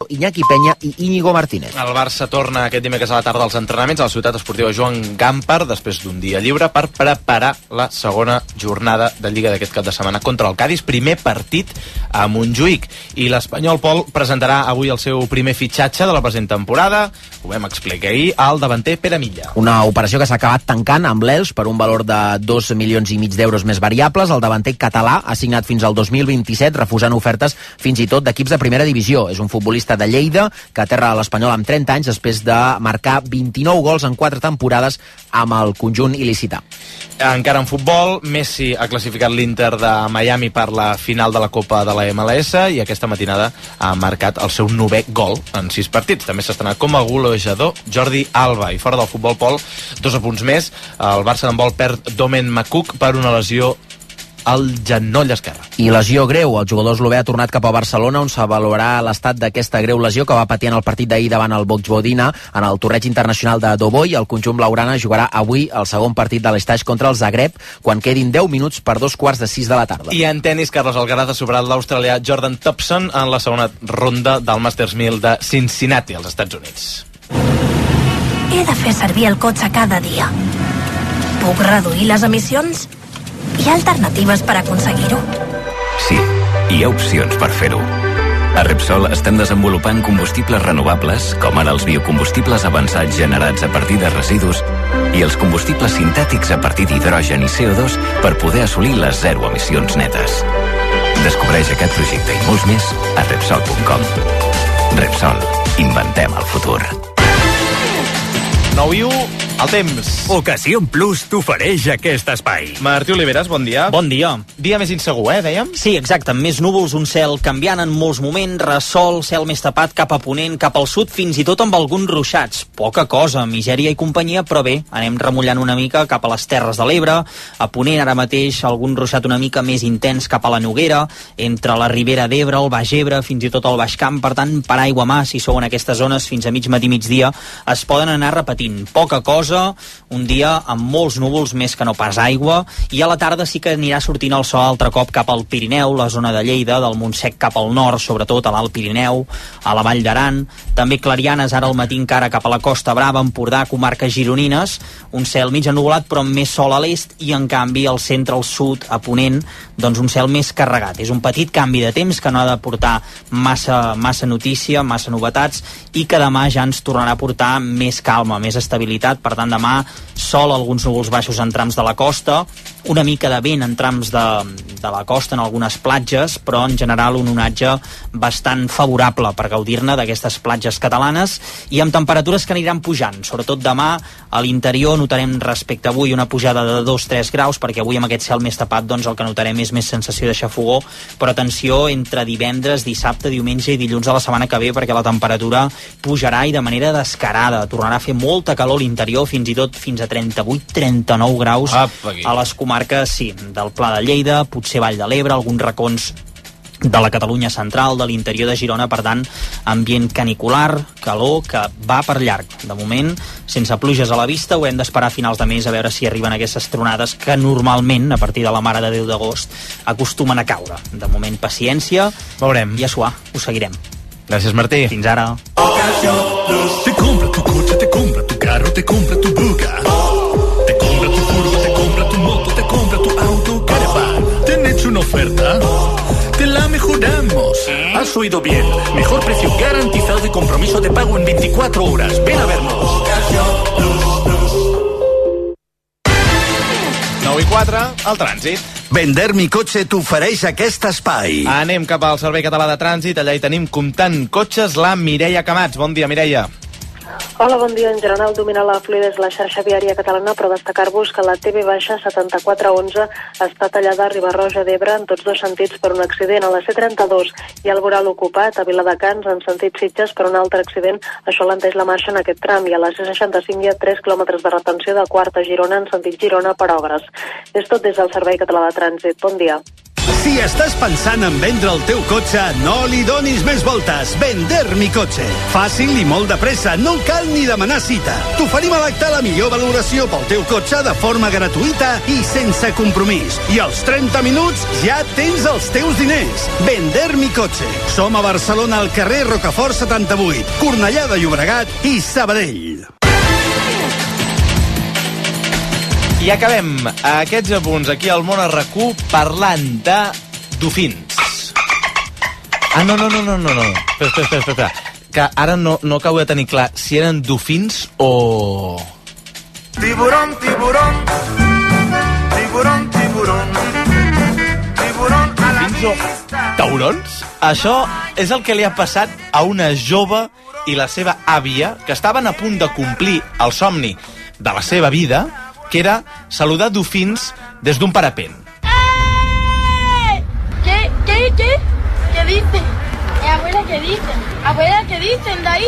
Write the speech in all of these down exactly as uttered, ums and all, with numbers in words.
Iñaki Peña i Íñigo Martínez. El Barça torna aquest dimecres a la tarda als entrenaments a la ciutat esportiva Joan Gampar després d'un dia lliure per preparar la segona jornada de Lliga d'aquest cap de setmana contra el Cádiz, primer partit a Montjuïc. I l'Espanyol, Pol, presentarà avui el seu primer fitxatge de la present temporada, ho vam explicar ahir, al davanter Pere Milla. Una operació que s'ha acabat tancant amb l'Elx per un valor de dos milions i mig d'euros més variables. El davanter català ha signat fins al dos mil vint-i-set, refusant ofertes fins i tot d'equips de primera divisió. És un futbolista de Lleida que aterra a l'Espanyol amb trenta anys després de marcar vint-i-nou gols en quatre temporades amb el conjunt il·licità. Encara en futbol, Messi ha classificat l'Inter de Miami per la final de la Copa de la M L S i aquesta matinada ha marcat el seu novè gol en sis partits. També s'ha estrenat com a golejador Jordi Alba. I fora del futbol, Pol, dos apunts més. El Barça d'handbol perd Domen Makuk per una lesió al genoll esquerre. I lesió greu. El jugador eslové ha tornat cap a Barcelona, on s'avaluarà l'estat d'aquesta greu lesió que va patir en el partit d'ahir davant el Vojvodina en el torneig internacional de Doboj. El conjunt blaugrana jugarà avui el segon partit de l'Estaix contra el Zagreb quan quedin deu minuts per dos quarts de sis de la tarda. I en tenis, Carlos Alcaraz ha superat l'australià Jordan Thompson en la segona ronda del Masters mil de Cincinnati, als Estats Units. He de fer servir el cotxe cada dia. Puc reduir les emissions? Hi ha alternatives per aconseguir-ho? Sí, hi ha opcions per fer-ho. A Repsol estem desenvolupant combustibles renovables, com ara els biocombustibles avançats generats a partir de residus i els combustibles sintètics a partir d'hidrogen i C O dos per poder assolir les zero emissions netes. Descobreix aquest projecte i molts més a Repsol punt com. Repsol. Inventem el futur. nou i u, el temps. Ocasion Plus t'ofereix aquest espai. Martí Oliveres, bon dia. Bon dia. Dia més insegur, eh, dèiem? Sí, exacte, amb més núvols, un cel canviant en molts moments, ressol, cel més tapat cap a ponent, cap al sud, fins i tot amb alguns ruixats. Poca cosa, misèria i companyia, però bé, anem remullant una mica cap a les Terres de l'Ebre, a ponent ara mateix algun ruixat una mica més intens cap a la Noguera, entre la Ribera d'Ebre, el Baix Ebre, fins i tot el Baix Camp, per tant, per aigua mà, si sou en aquestes zones, fins a mig matí, migdia, es poden anar repetint. Poca cosa, un dia amb molts núvols més que no pas aigua, i a la tarda sí que anirà sortint el sol altre cop cap al Pirineu, la zona de Lleida, del Montsec cap al nord, sobretot a l'Alt Pirineu, a la Vall d'Aran, també clarianes ara al matí encara cap a la Costa Brava, Empordà, comarques gironines, un cel mig ennuvolat però amb més sol a l'est, i en canvi al centre, al sud, a ponent, doncs un cel més carregat. És un petit canvi de temps que no ha de portar massa, massa notícia, massa novetats, i que demà ja ens tornarà a portar més calma, més estabilitat. Per tant, demà sol, alguns núvols baixos en trams de la costa, una mica de vent en trams de, de la costa en algunes platges, però en general un onatge bastant favorable per gaudir-ne d'aquestes platges catalanes, i amb temperatures que aniran pujant. Sobretot demà a l'interior notarem respecte a avui una pujada de dos a tres graus, perquè avui amb aquest cel més tapat doncs el que notarem és més sensació de xafogó, però atenció entre divendres, dissabte, diumenge i dilluns de la setmana que ve, perquè la temperatura pujarà i de manera descarada. Tornarà a fer molta calor a l'interior, fins i tot fins a trenta-vuit a trenta-nou graus a les comarques, sí, del Pla de Lleida, potser Vall de l'Ebre, alguns racons de la Catalunya central, de l'interior de Girona. Per tant, ambient canicular, calor que va per llarg. De moment, sense pluges a la vista, ho hem d'esperar a finals de mes a veure si arriben aquestes tronades que normalment, a partir de la Mare de Déu d'agost, acostumen a caure. De moment, paciència. Veurem. I a suar, ho seguirem. Gràcies, Martí. Fins ara. Te compra tu coche, te compra tu carro, te compra tu buga. Te compra tu furgo, te compra tu moto, te compra tu auto, caravan. ¿Te han hecho una oferta? Te la mejoramos. Has oído bien. Mejor precio garantizado y compromiso de pago en veinticuatro horas. Ven a vernos. nou i quatre, el trànsit. Vender mi cotxe t'ofereix aquest espai. Anem cap al Servei Català de Trànsit, allà hi tenim comptant cotxes la Mireia Camats. Bon dia, Mireia. Hola, bon dia. En general domina la fluidesa la xarxa viària catalana, però destacar-vos que la T V setanta-quatre onze està tallada a Riba-roja d'Ebre en tots dos sentits per un accident. A la C trenta-dos hi ha el voral ocupat a Viladecans en sentit Sitges per un altre accident. Això alenteix la marxa en aquest tram. I a la C seixanta-cinc hi ha tres quilòmetres de retenció de Quarta a Girona en sentit Girona per obres. És tot des del Servei Català de Trànsit. Bon dia. Si estàs pensant en vendre el teu cotxe, no li donis més voltes. Vender mi cotxe. Fàcil i molt de pressa, no cal ni demanar cita. T'oferim a l'acte la millor valoració pel teu cotxe de forma gratuïta i sense compromís. I als trenta minuts ja tens els teus diners. Vender mi cotxe. Som a Barcelona, al carrer Rocafort setanta-vuit, Cornellà de Llobregat i Sabadell. I acabem aquests apunts aquí al Món a R A C U parlant de dofins. Ah, no, no, no, no, no, no. Espera, espera, espera, espera. Que ara no, no acabo de tenir clar si eren dofins o... Tiburón, tiburón, tiburón, tiburón, tiburón a la vista. Taurons? Això és el que li ha passat a una jove i la seva àvia que estaven a punt de complir el somni de la seva vida, que era saludar dofins des d'un parapent. ¡Eh! ¿Qué, qué, qué? ¿Qué dice? Eh, abuela, ¿qué dicen? Abuela, ¿qué dicen de ahí?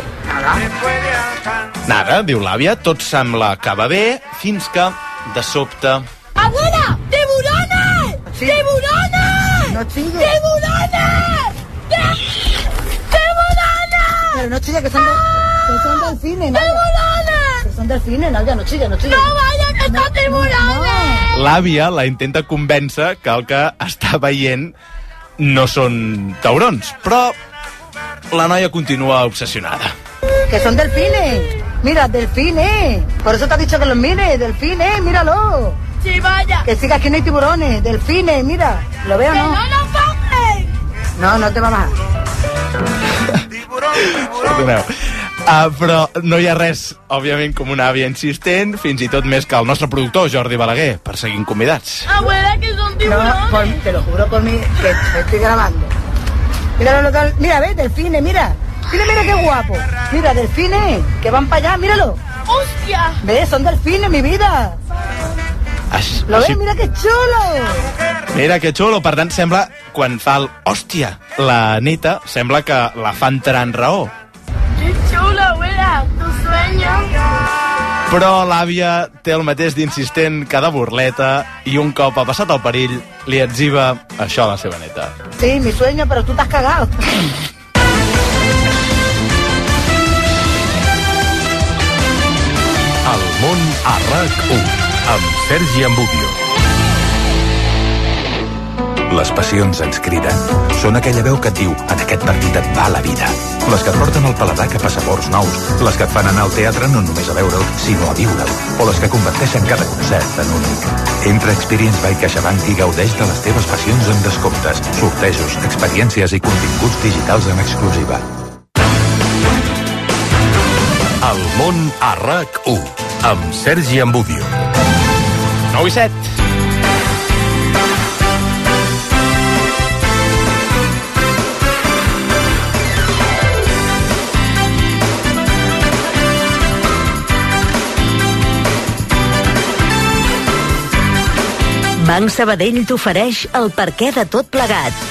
Nada, diu l'àvia, tot sembla que va bé, fins que, de sobte... ¡Abuela! ¡Tiburones! Sí. ¡Tiburones! No sigue. ¡Tiburones! ¡Tiburones! Pero no chille, que son, de, que son delfines, ¿no? ¡Tiburones! Que son delfines, Nadia, no chille, no chille. ¡No vaya, que son tiburones! L'àvia la intenta convèncer que el que està veient no són taurons, però la noia continua obsessionada. Que son delfines. Mira, delfines. Por eso te ha dicho que los mires, delfines, míralo. ¡Sí, vaya! Que sigas que no hay tiburones, delfines, mira. ¿Lo veo o ¡Que no? no nos bajen! No, no te va a bajar. Perdoneu. Uh, però no hi ha res, òbviament, com una àvia insistent, fins i tot més que el nostre productor, Jordi Balaguer, per seguir convidats. Abuela, que son No, tiburones. por, te lo juro por mí, que me estoy grabando. Mira, lo que- mira, ves, delfines, mira. Mira, mira qué guapo. Mira, delfines, que van para allá, míralo. ¡Hostia! ¿Ves? Son delfines, mi vida. Així, ¿Lo així, ves? Mira qué chulo. mira que xulo, per tant, sembla, quan fa el hòstia, la neta, sembla que la fa entrar en raó. ¡Qué chulo, abuela! ¿Tu sueño? Però l'àvia té el mateix d'insistent que de burleta i un cop ha passat el perill li etziba això a la seva neta. Sí, mi sueño, pero tú te has cagado. El món a R A C u amb Sergi Ambudio. Les passions ens criden. Són aquella veu que et diu en aquest partit et va la vida. Les que et porten el paladar cap a sabors nous. Les que et fan anar al teatre no només a veure'l, sinó a viure'l. O les que converteixen cada concert en únic. Entra a Experience by CaixaBank i gaudeix de les teves passions amb descomptes, sortejos, experiències i continguts digitals en exclusiva. El món a R A C u amb Sergi Ambudio. nou i set. Banc Sabadell t'ofereix el perquè de tot plegat.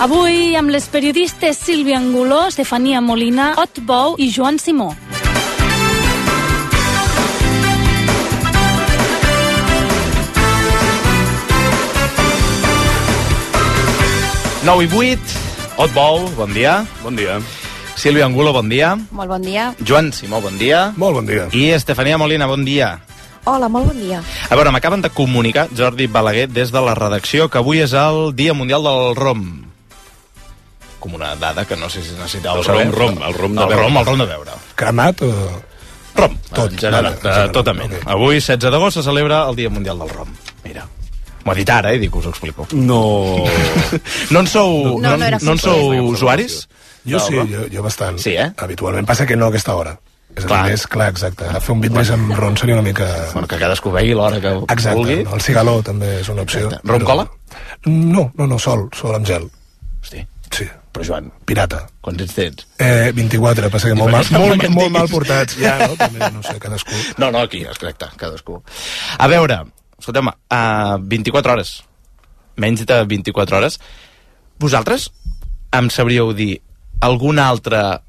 Avui amb les periodistes Sílvia Anguló, Estefania Molina, Ot Bou i Joan Simó. nou i vuit, Ot Bou, bon dia. Bon dia. Sílvia Angulo, bon dia. Molt bon dia. Joan Simó, bon dia. Molt bon dia. I Estefania Molina, bon dia. Hola, molt bon dia. A veure, m'acaben de comunicar, Jordi Balaguer, des de la redacció, que avui és el Dia Mundial del Rom. Com una dada que no sé si necessitàveu El saber. rom, rom, el rom de el beure. rom, el rom de beure. Cremat o... Rom, Tot, en general, vale, eh, totament. ok. Avui, setze d'agost, se celebra el Dia Mundial del Rom. Mira. M'ho ha dit ara, eh, dic, us ho explico. No... No en sou, No, no era no en suposo. sou usuaris? Jo sí, del rom? jo, jo bastant. Sí, eh? Habitualment. Passa que no a aquesta hora. És Clar. clar. Més, clar, exacte. A fer un bit més amb ron seria una mica... Bueno, que cadascú vegi l'hora que Exacte. vulgui. No? El cigaló també és una opció. Exacte. Rom però- cola? No, no, no, sol, sol amb gel. Hosti, Sí. però Joan, Pirata. quants anys tens? Eh, vint-i-quatre, passa que molt, mal, Sembla molt, que en molt tinguis. mal portats. Ja, no? També, no sé, cadascú. No, no, aquí, exacte, cadascú. A veure, escolteu, a vint-i-quatre hores, menys de vint-i-quatre hores, vosaltres em sabríeu dir alguna altra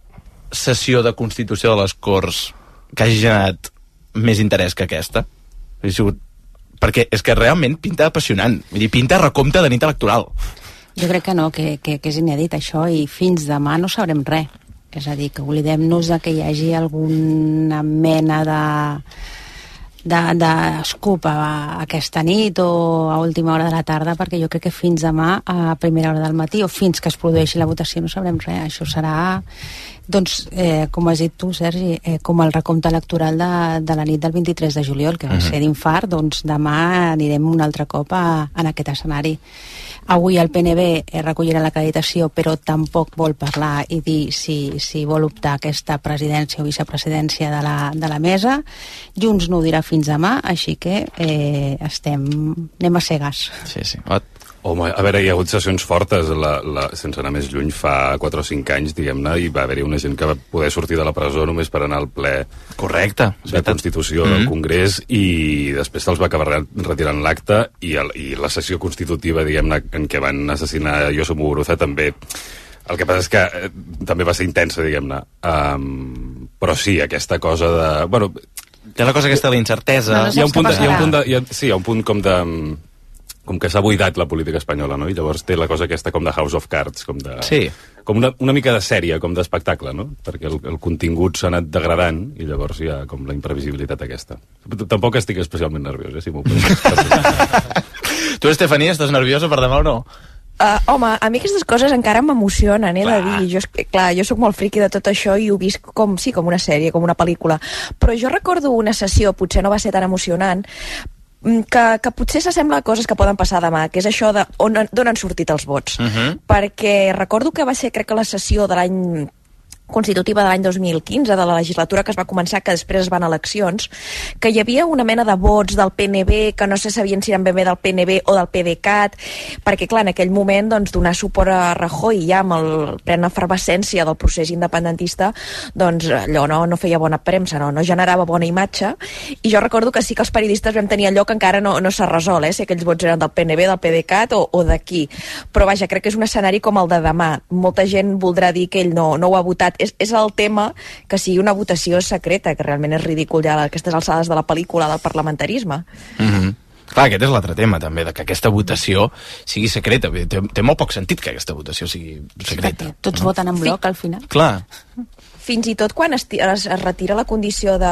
sessió de Constitució de les Corts que hagi generat més interès que aquesta? Ha sigut perquè és que realment pinta apassionant, vull dir, pinta recompte de nit electoral. Jo crec que no, que, que, que és inèdit això, i fins demà no sabrem res. És a dir, que oblidem-nos de que hi hagi alguna mena de d'escup a aquesta nit o a última hora de la tarda, perquè jo crec que fins demà a primera hora del matí o fins que es produeixi la votació no sabrem res. Això serà, doncs, eh, com has dit tu, Sergi, eh, com el recompte electoral de, de la nit del vint-i-tres de juliol, que va Mhm. ser d'infart. Doncs demà anirem un altre cop a, en aquest escenari. Avui el P N B recollirà l'acreditació, però tampoc vol parlar i dir si, si vol optar a aquesta presidència o vicepresidència de la, de la mesa. Junts no ho dirà fins demà, així que eh, estem, anem a cegues. Sí, sí. Home, a veure, hi ha hagut sessions fortes, la, la, sense anar més lluny, fa quatre o cinc anys, diguem-ne, i va haver-hi una gent que va poder sortir de la presó només per anar al ple correcte de Constitució Mm-hmm. del Congrés, i després se'ls va acabar retirant l'acte, i, el, i la sessió constitutiva, diguem-ne, en què van assassinar José Muguruza, també. El que passa és que eh, també va ser intensa, diguem-ne. Um, però sí, aquesta cosa de... Bueno, té la cosa aquesta de la incertesa. No, no hi ha un punt, de, hi ha un punt de, hi ha, sí, hi ha un punt com de... com que s'ha buidat la política espanyola, no? I llavors té la cosa aquesta com de House of Cards, com de... Sí. Com una, una mica de sèrie, com d'espectacle, no? Perquè el, el contingut s'ha anat degradant i llavors hi ha com la imprevisibilitat aquesta. Tampoc estic especialment nerviós, eh, si m'ho pots. Tu, Estefania, estàs nerviosa per demà o no? Uh, home, a mi aquestes coses encara m'emocionen, he de dir. Jo, clar, jo sóc molt friqui de tot això i ho visc com, sí, com una sèrie, com una pel·lícula. Però jo recordo una sessió, potser no va ser tan emocionant, que, que potser s'assembla a coses que poden passar demà, que és això de on, d'on han sortit els vots. Uh-huh. Perquè recordo que va ser, crec que la sessió de l'any constitutiva de l'any dos mil quinze, de la legislatura que es va començar, que després es van eleccions, que hi havia una mena de vots del P N B que no se sabien si eren ben bé del P N B o del PDeCAT, perquè clar, en aquell moment doncs, donar suport a Rajoy ja amb el plena efervescència del procés independentista, doncs allò no, no feia bona premsa, no, no generava bona imatge, i jo recordo que sí que els periodistes vam tenir allò que encara no, no s'ha resolt, eh, si aquells vots eren del P N B, del PDeCAT o, o d'aquí, però vaja, crec que és un escenari com el de demà. Molta gent voldrà dir que ell no, no ho ha votat. És, és el tema que sigui una votació secreta, que realment és ridícul ja a aquestes alçades de la pel·lícula del parlamentarisme. Mm-hmm. Clar, aquest és l'altre tema, també, de que aquesta votació sigui secreta. Té, té molt poc sentit que aquesta votació sigui secreta. Tots no? voten en bloc, al final. Clar. Fins i tot quan es, es, es retira la condició de...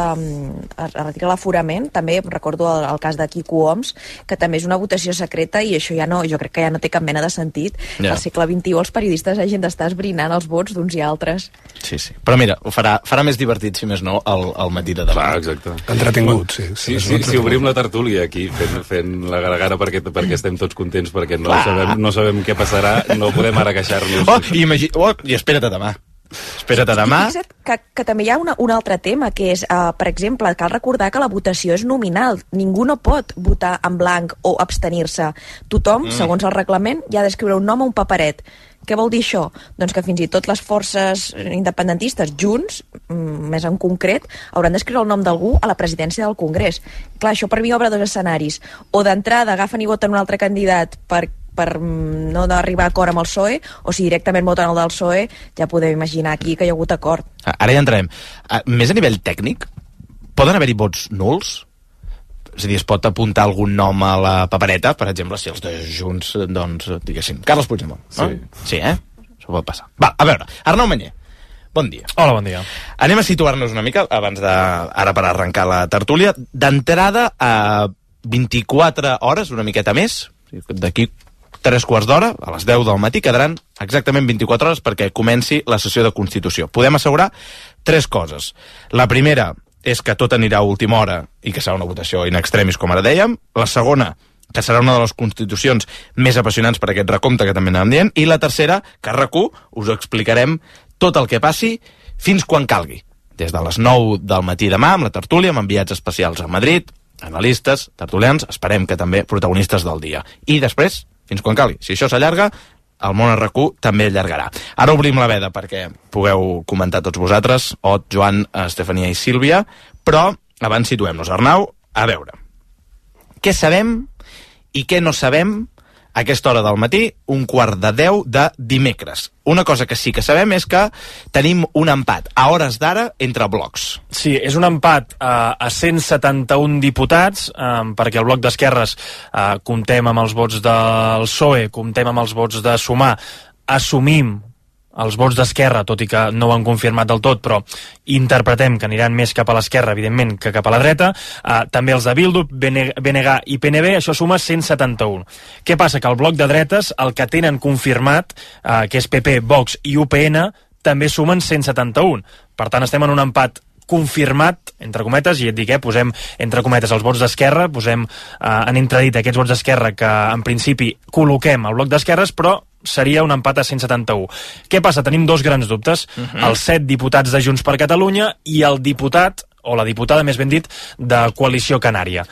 es retira l'aforament, també recordo el, el cas de Quico Homs, que també és una votació secreta, i això ja no, jo crec que ja no té cap mena de sentit. Ja. Al segle vint-i-u els periodistes hagin d'estar esbrinant els vots d'uns i altres. Sí, sí. Però mira, ho farà, farà més divertit, si més no, el, el matí de demà. Clar, exacte. Entretingut, sí. Sí, sí, sí, si obrim la tertúlia aquí, fent, fent la garagana perquè, perquè estem tots contents, perquè no sabem, no sabem què passarà, no podem ara queixar-nos. Oh, i, imagi... oh, i espera't a demà. Espera't a demà. Fixa't que, que també hi ha una, un altre tema, que és, uh, per exemple, cal recordar que la votació és nominal. Ningú no pot votar en blanc o abstenir-se. Tothom, mm. segons el reglament, hi ha d'escriure un nom a un paperet. Què vol dir això? Doncs que fins i tot les forces independentistes junts, més en concret, hauran d'escriure el nom d'algú a la presidència del Congrés. Clar, això per mi obre dos escenaris. O d'entrada agafen i voten un altre candidat per per no arribar a acord amb el P S O E, o si directament voten el del P S O E, ja podem imaginar aquí que hi ha hagut acord. Ara ja entrarem. Més a nivell tècnic, poden haver-hi vots nuls? És a dir, es pot apuntar algun nom a la papereta, per exemple, si els de Junts, doncs, diguéssim, Carles Puigdemont. No? Sí. Sí, eh? Això pot passar. Va, a veure, Arnau Manyer, bon dia. Hola, bon dia. Anem a situar-nos una mica, abans de, ara per arrencar la tertúlia, d'entrada a vint-i-quatre hores, una miqueta més, d'aquí tres quarts d'hora, a les deu del matí, quedaran exactament vint-i-quatre hores perquè comenci la sessió de Constitució. Podem assegurar tres coses. La primera és que tot anirà a última hora i que serà una votació in extremis, com ara dèiem. La segona, que serà una de les constitucions més apassionants per aquest recompte que també anàvem dient. I la tercera, que a RAC u us explicarem tot el que passi fins quan calgui. Des de les nou del matí demà, amb la tertúlia, amb enviats especials a Madrid, analistes, tertulians, esperem que també protagonistes del dia. I després, fins quan calgui. Si això s'allarga, el món a RAC u també allargarà. Ara obrim la veda perquè pugueu comentar tots vosaltres, Ot, Joan, Estefania i Sílvia, però abans situem-nos. Arnau, a veure, què sabem i què no sabem a aquesta hora del matí, un quart de deu de dimecres. Una cosa que sí que sabem és que tenim un empat a hores d'ara entre blocs. Sí, és un empat eh, a cent setanta-un diputats, eh, perquè el bloc d'esquerres eh, comptem amb els vots del P S O E, comptem amb els vots de Sumar, assumim els vots d'esquerra, tot i que no ho han confirmat del tot, però interpretem que aniran més cap a l'esquerra, evidentment, que cap a la dreta. Uh, també els de Bildu, B N G i P N B, això suma cent setanta-un. Què passa? Que el bloc de dretes, el que tenen confirmat, uh, que és P P, Vox i U P N, també sumen cent setanta-un. Per tant, estem en un empat confirmat, entre cometes, i et dic, eh, posem entre cometes els vots d'esquerra, posem eh, en entredit aquests vots d'esquerra que en principi col·loquem al bloc d'esquerres, però seria un empat a cent setanta-un. Què passa? Tenim dos grans dubtes. Uh-huh. Els set diputats de Junts per Catalunya i el diputat, o la diputada, més ben dit, de Coalició Canària.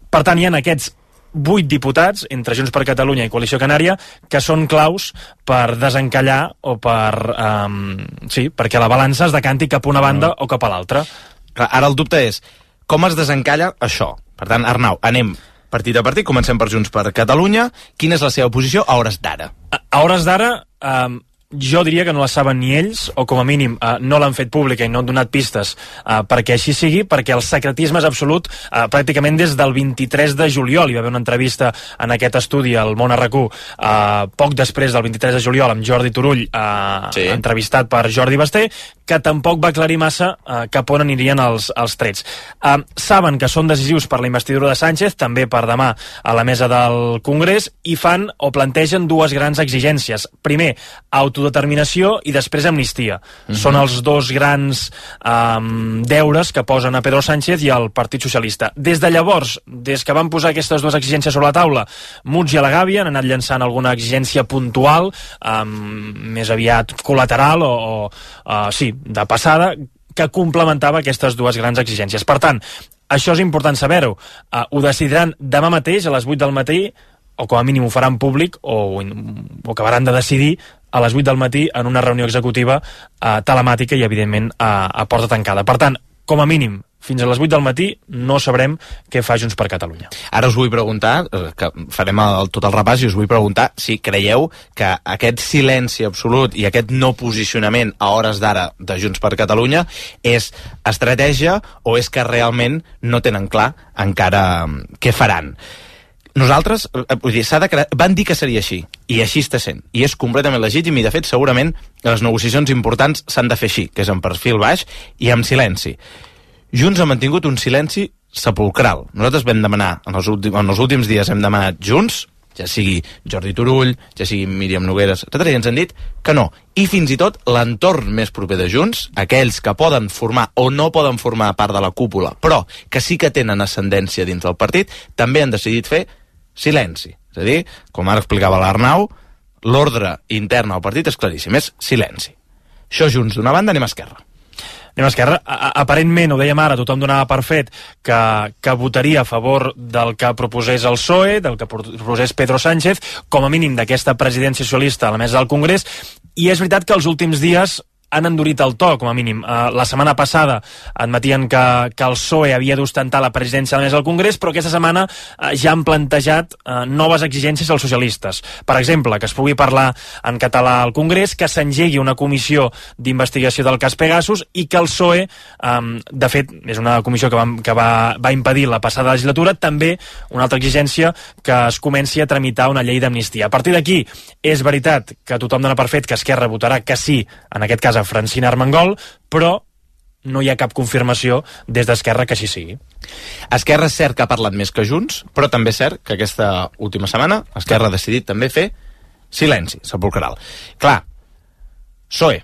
Per tant, hi ha aquests vuit diputats entre Junts per Catalunya i Coalició Canària que són claus per desencallar o per, um, sí, perquè la balança es decanti cap a una banda o cap a l'altra. Ara el dubte és com es desencalla això. Per tant, Arnau, anem partit a partit, comencem per Junts per Catalunya. Quina és la seva posició a hores d'ara? A, a hores d'ara, um, jo diria que no la saben ni ells, o com a mínim uh, no l'han fet pública i no han donat pistes uh, perquè així sigui, perquè el secretisme és absolut uh, pràcticament des del vint-i-tres de juliol. Hi va haver una entrevista en aquest estudi al Món R Q uh, poc després del vint-i-tres de juliol amb Jordi Turull, uh, sí. entrevistat per Jordi Basté, que tampoc va aclarir massa uh, cap on anirien els, els trets. Uh, saben que són decisius per la investidura de Sánchez, també per demà a la mesa del Congrés, i fan o plantegen dues grans exigències. Primer, autodeterminació i després amnistia. Uh-huh. Són els dos grans um, deures que posen a Pedro Sánchez i al Partit Socialista. Des de llavors, des que van posar aquestes dues exigències sobre la taula, Muig i a la Gàbia han anat llançant alguna exigència puntual, um, més aviat col·lateral o, o uh, sí, de passada, que complementava aquestes dues grans exigències. Per tant, això és important saber-ho. Uh, ho decidiran demà mateix a les vuit del matí, o com a mínim ho faran públic, o, o acabaran de decidir a les vuit del matí en una reunió executiva uh, telemàtica i, evidentment, uh, a porta tancada. Per tant, com a mínim, fins a les vuit del matí no sabrem què fa Junts per Catalunya. Ara us vull preguntar, que farem el, tot el repàs, i us vull preguntar si creieu que aquest silenci absolut i aquest no posicionament a hores d'ara de Junts per Catalunya és estratègia o és que realment no tenen clar encara què faran. Nosaltres, vull dir, s'ha de crear, van dir que seria així, i així està sent, i és completament legítim, i de fet segurament les negociacions importants s'han de fer així, que és en perfil baix i amb silenci. Junts ha mantingut un silenci sepulcral. Nosaltres vam demanar, en els, últims, en els últims dies hem demanat Junts, ja sigui Jordi Turull, ja sigui Míriam Nogueras, etcètera, i ens han dit que no. I fins i tot l'entorn més proper de Junts, aquells que poden formar o no poden formar part de la cúpula, però que sí que tenen ascendència dins del partit, també han decidit fer silenci. És a dir, com ara explicava l'Arnau, l'ordre intern al partit és claríssim, és silenci. Això Junts d'una banda, anem a Esquerra. Anem a Esquerra. Aparentment, ho dèiem ara, tothom donava per fet que, que votaria a favor del que proposés el P S O E, del que proposés Pedro Sánchez, com a mínim d'aquesta presidència socialista a la mesa del Congrés, i és veritat que els últims dies han endurit el to, com a mínim. Uh, la setmana passada admetien que, que el P S O E havia d'ostentar la presidència a la mesa del Congrés, però aquesta setmana uh, ja han plantejat uh, noves exigències als socialistes. Per exemple, que es pugui parlar en català al Congrés, que s'engegui una comissió d'investigació del cas Pegasus i que el P S O E, um, de fet, és una comissió que, va, que va, va impedir la passada legislatura, també una altra exigència que es comenci a tramitar una llei d'amnistia. A partir d'aquí, és veritat que tothom dona per fet que Esquerra votarà que sí, en aquest cas a Francina Armengol, però no hi ha cap confirmació des d'Esquerra que així sigui. Esquerra és cert que ha parlat més que Junts, però també és cert que aquesta última setmana Esquerra ha decidit també fer silenci sepulcral. Clar, P S O E,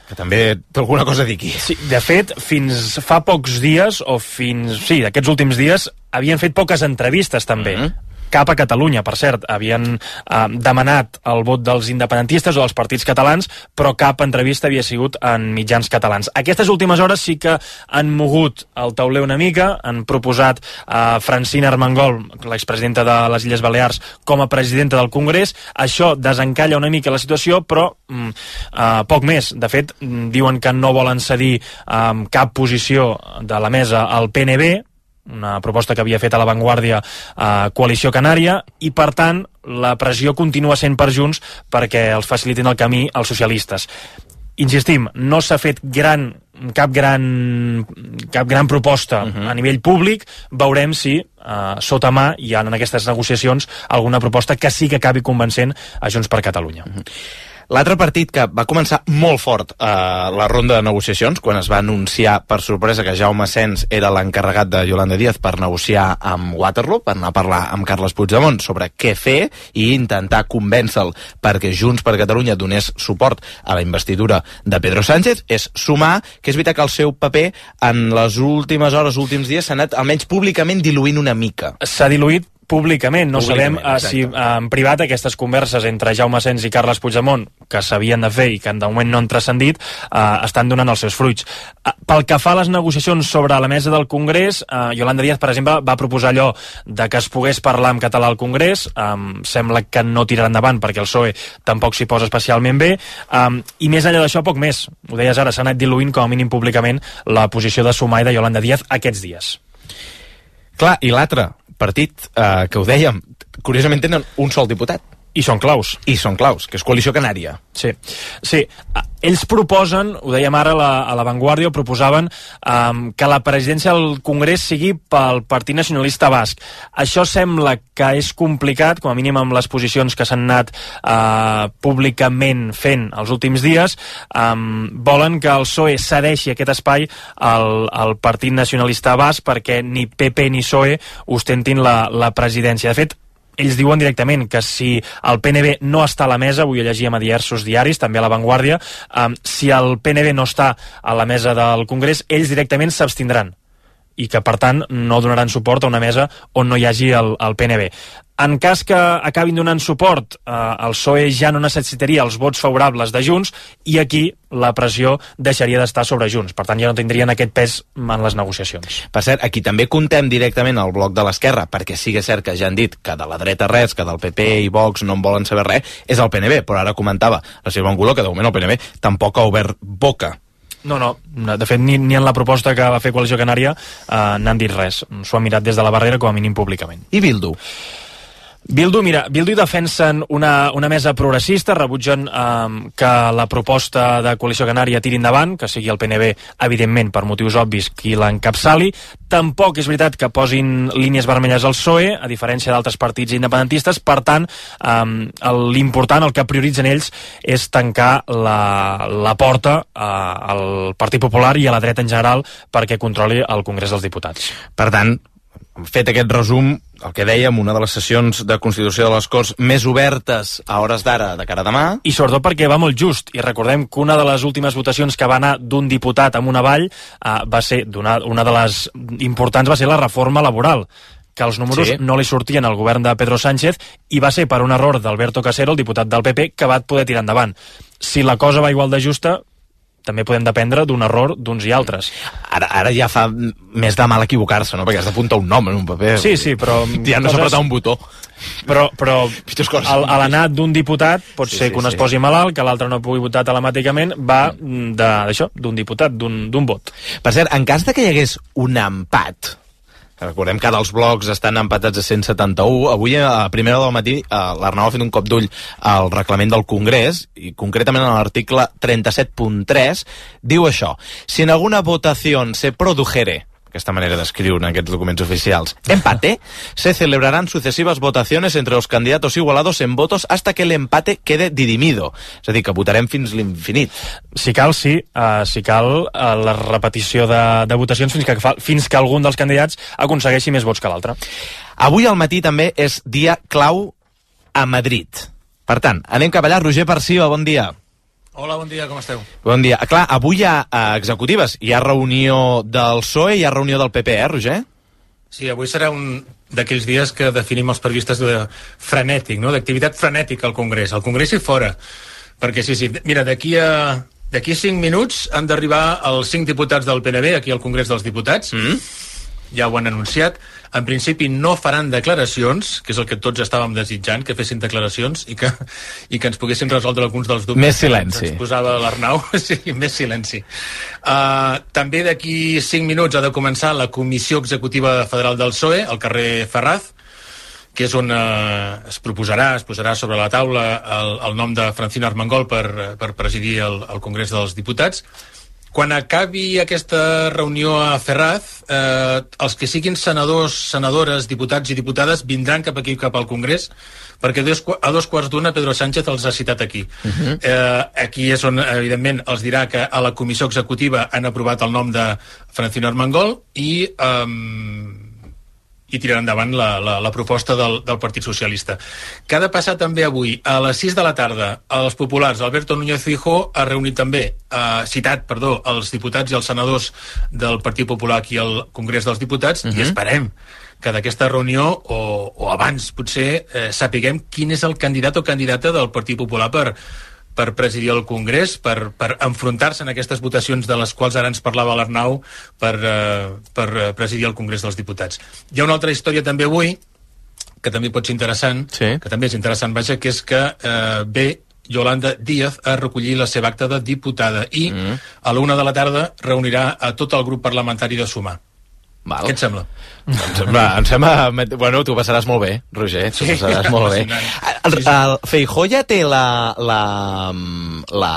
que també té alguna cosa a dir aquí. Sí, de fet, fins fa pocs dies, o fins, sí, d'aquests últims dies, havien fet poques entrevistes també. Mm-hmm. Cap a Catalunya, per cert, havien eh, demanat el vot dels independentistes o dels partits catalans, però cap entrevista havia sigut en mitjans catalans. Aquestes últimes hores sí que han mogut el tauler una mica, han proposat a eh, Francina Armengol, l'expresidenta de les Illes Balears, com a presidenta del Congrés. Això desencalla una mica la situació, però mm, eh, poc més. De fet, diuen que no volen cedir eh, cap posició de la mesa al P N B, una proposta que havia fet a La Vanguardia a Coalició Canària, i per tant la pressió continua sent per Junts perquè els facilitin el camí als socialistes. Insistim, no s'ha fet gran, cap gran cap gran proposta uh-huh. a nivell públic. Veurem si uh, sota mà hi ha en aquestes negociacions alguna proposta que sí que acabi convencent a Junts per Catalunya. Uh-huh. L'altre partit que va començar molt fort a eh, la ronda de negociacions, quan es va anunciar per sorpresa que Jaume Asens era l'encarregat de Yolanda Díaz per negociar amb Waterloo, per anar a parlar amb Carles Puigdemont sobre què fer i intentar convèncer-lo perquè Junts per Catalunya donés suport a la investidura de Pedro Sánchez, és Sumar, que és veritat que el seu paper en les últimes hores, últims dies, s'ha anat almenys públicament diluint una mica. S'ha diluït públicament, no públicament, sabem uh, si uh, en privat aquestes converses entre Jaume Asens i Carles Puigdemont, que s'havien de fer i que de moment no han transcendit, uh, estan donant els seus fruits. Uh, pel que fa a les negociacions sobre la mesa del Congrés, uh, Yolanda Díaz, per exemple, va proposar allò de que es pogués parlar en català al Congrés. Um, sembla que no tirarà endavant perquè el P S O E tampoc s'hi posa especialment bé, um, i més enllà d'això, poc més. Ho deies ara, s'ha anat diluint com a mínim públicament la posició de Sumar i de Yolanda Díaz aquests dies. Clar, i l'altre partit, eh, que ho dèiem, curiosament tenen un sol diputat. I són claus. I són claus, que és Coalició Canària. Sí, sí. Ells proposen, ho dèiem ara a la, a la Vanguardia, proposaven um, que la presidència del Congrés sigui pel Partit Nacionalista Basc. Això sembla que és complicat, com a mínim amb les posicions que s'han anat uh, públicament fent els últims dies. Um, volen que el P S O E cedeixi aquest espai al, al Partit Nacionalista Basc perquè ni P P ni P S O E ostentin la, la presidència. De fet, ells diuen directament que si el P N B no està a la mesa, avui ho llegíem a diversos diaris, també a La Vanguardia, um, si el P N B no està a la mesa del Congrés, ells directament s'abstindran i que, per tant, no donaran suport a una mesa on no hi hagi el, el P N B. En cas que acabin donant suport, eh, el P S O E ja no necessitaria els vots favorables de Junts i aquí la pressió deixaria d'estar sobre Junts. Per tant, ja no tindrien aquest pes en les negociacions. Per cert, aquí també contem directament el bloc de l'esquerra, perquè sí que és cert que ja han dit que de la dreta res, que del P P i Vox no en volen saber res, és el P N B, però ara comentava la Sílvia Angulo que de moment el P N B tampoc ha obert boca. No, no, de fet ni, ni en la proposta que va fer Coalició Canària eh, n'han dit res. S'ho han mirat des de la barrera com a mínim públicament. I Bildu? Bildu, mira, Bildu defensen una, una mesa progressista, rebutgen eh, que la proposta de Coalició Canària tiri endavant, que sigui el P N B, evidentment, per motius obvis, qui l'encapçali. Tampoc és veritat que posin línies vermelles al P S O E, a diferència d'altres partits independentistes. Per tant, eh, l'important, el que prioritzen ells, és tancar la, la porta eh, al Partit Popular i a la dreta en general perquè controli el Congrés dels Diputats. Per tant, fet aquest resum, el que dèiem, una de les sessions de Constitució de les Corts més obertes a hores d'ara de cara a demà. I sobretot perquè va molt just, i recordem que una de les últimes votacions que va anar d'un diputat amunt avall eh, va ser, una, una de les importants va ser la reforma laboral, que els números sí. no li sortien al govern de Pedro Sánchez i va ser per un error d'Alberto Casero, el diputat del P P, que va poder tirar endavant. Si la cosa va igual de justa, també podem dependre d'un error d'uns i altres. Ara, ara ja fa més de mal equivocar-se, no? Perquè has d'apuntar un nom en un paper. Sí, sí, però... Ja no coses... s'ha apretat un botó. Però, però al, a l'anat d'un diputat pot sí, ser que un sí, es posi sí. malalt, que l'altre no pugui votar telemàticament, va d'això, d'un diputat, d'un vot. Per cert, en cas de que hi hagués un empat, recordem que ara els blocs estan empatats a cent setanta-u. Avui, a primera hora del matí, l'Arnau ha fet un cop d'ull al reglament del Congrés, i concretament en l'article trenta-set punt tres, diu això: si en alguna votació se produjere, aquesta manera d'escriure en aquests documents oficials, empate, se celebrarán sucesivas votaciones entre los candidatos igualados en votos hasta que el empate quede dirimido. És a dir, que votarem fins l'infinit. Si cal, sí. Uh, si cal, uh, la repetició de, de votacions fins que, fa, fins que algun dels candidats aconsegueixi més vots que l'altre. Avui al matí també és dia clau a Madrid. Per tant, anem cap allà. Roger Perciba, bon dia. Hola, bon dia, com esteu? Bon dia. Clar, avui hi ha uh, executives. Hi ha reunió del P S O E i hi ha reunió del P P, eh, Roger? Sí, avui serà un d'aquells dies que definim els periodistes de frenètic, no? D'activitat frenètica al Congrés. Al Congrés i fora. Perquè sí, sí, mira, d'aquí a... D'aquí a cinc minuts han d'arribar els cinc diputats del P N B aquí al Congrés dels Diputats. Mm. Ja ho han anunciat. En principi no faran declaracions, que és el que tots estàvem desitjant, que fessin declaracions i que, i que ens poguessin resoldre alguns dels dubtes. Més silenci. Que ens posava l'Arnau. Sí, més silenci. Uh, també d'aquí cinc minuts ha de començar la Comissió Executiva Federal del P S O E, al carrer Ferraz, que és on eh, es proposarà, es posarà sobre la taula el, el nom de Francino Armengol per, per presidir el, el Congrés dels Diputats. Quan acabi aquesta reunió a Ferraz, eh, els que siguin senadors, senadores, diputats i diputades vindran cap aquí, cap al Congrés, perquè a dos quarts d'una Pedro Sánchez els ha citat aquí. Uh-huh. eh, aquí és on, evidentment, els dirà que a la comissió executiva han aprovat el nom de Francino Armengol i... Eh, i tirar endavant la, la, la proposta del, del Partit Socialista. Que ha de passar també avui, a les sis de la tarda, als populars, Alberto Núñez Feijóo ha reunit també, eh, citat, perdó, els diputats i els senadors del Partit Popular aquí al Congrés dels Diputats, uh-huh. i esperem que d'aquesta reunió, o, o abans potser, eh, sapiguem quin és el candidat o candidata del Partit Popular per per presidir el Congrés, per, per enfrontar-se en aquestes votacions de les quals ara ens parlava l'Arnau per, uh, per presidir el Congrés dels Diputats. Hi ha una altra història també avui, que també pot ser interessant, sí. que també és interessant, vaja, que és que uh, ve Yolanda Díaz a recollir la seva acta de diputada i mm. a l'una de la tarda reunirà a tot el grup parlamentari de Sumar. Val. Què et sembla? Doncs, va, em sembla... Bueno, tu passaràs molt bé, Roger, tu sí, passaràs molt bé. El, el Feijóo ja té la... la, la,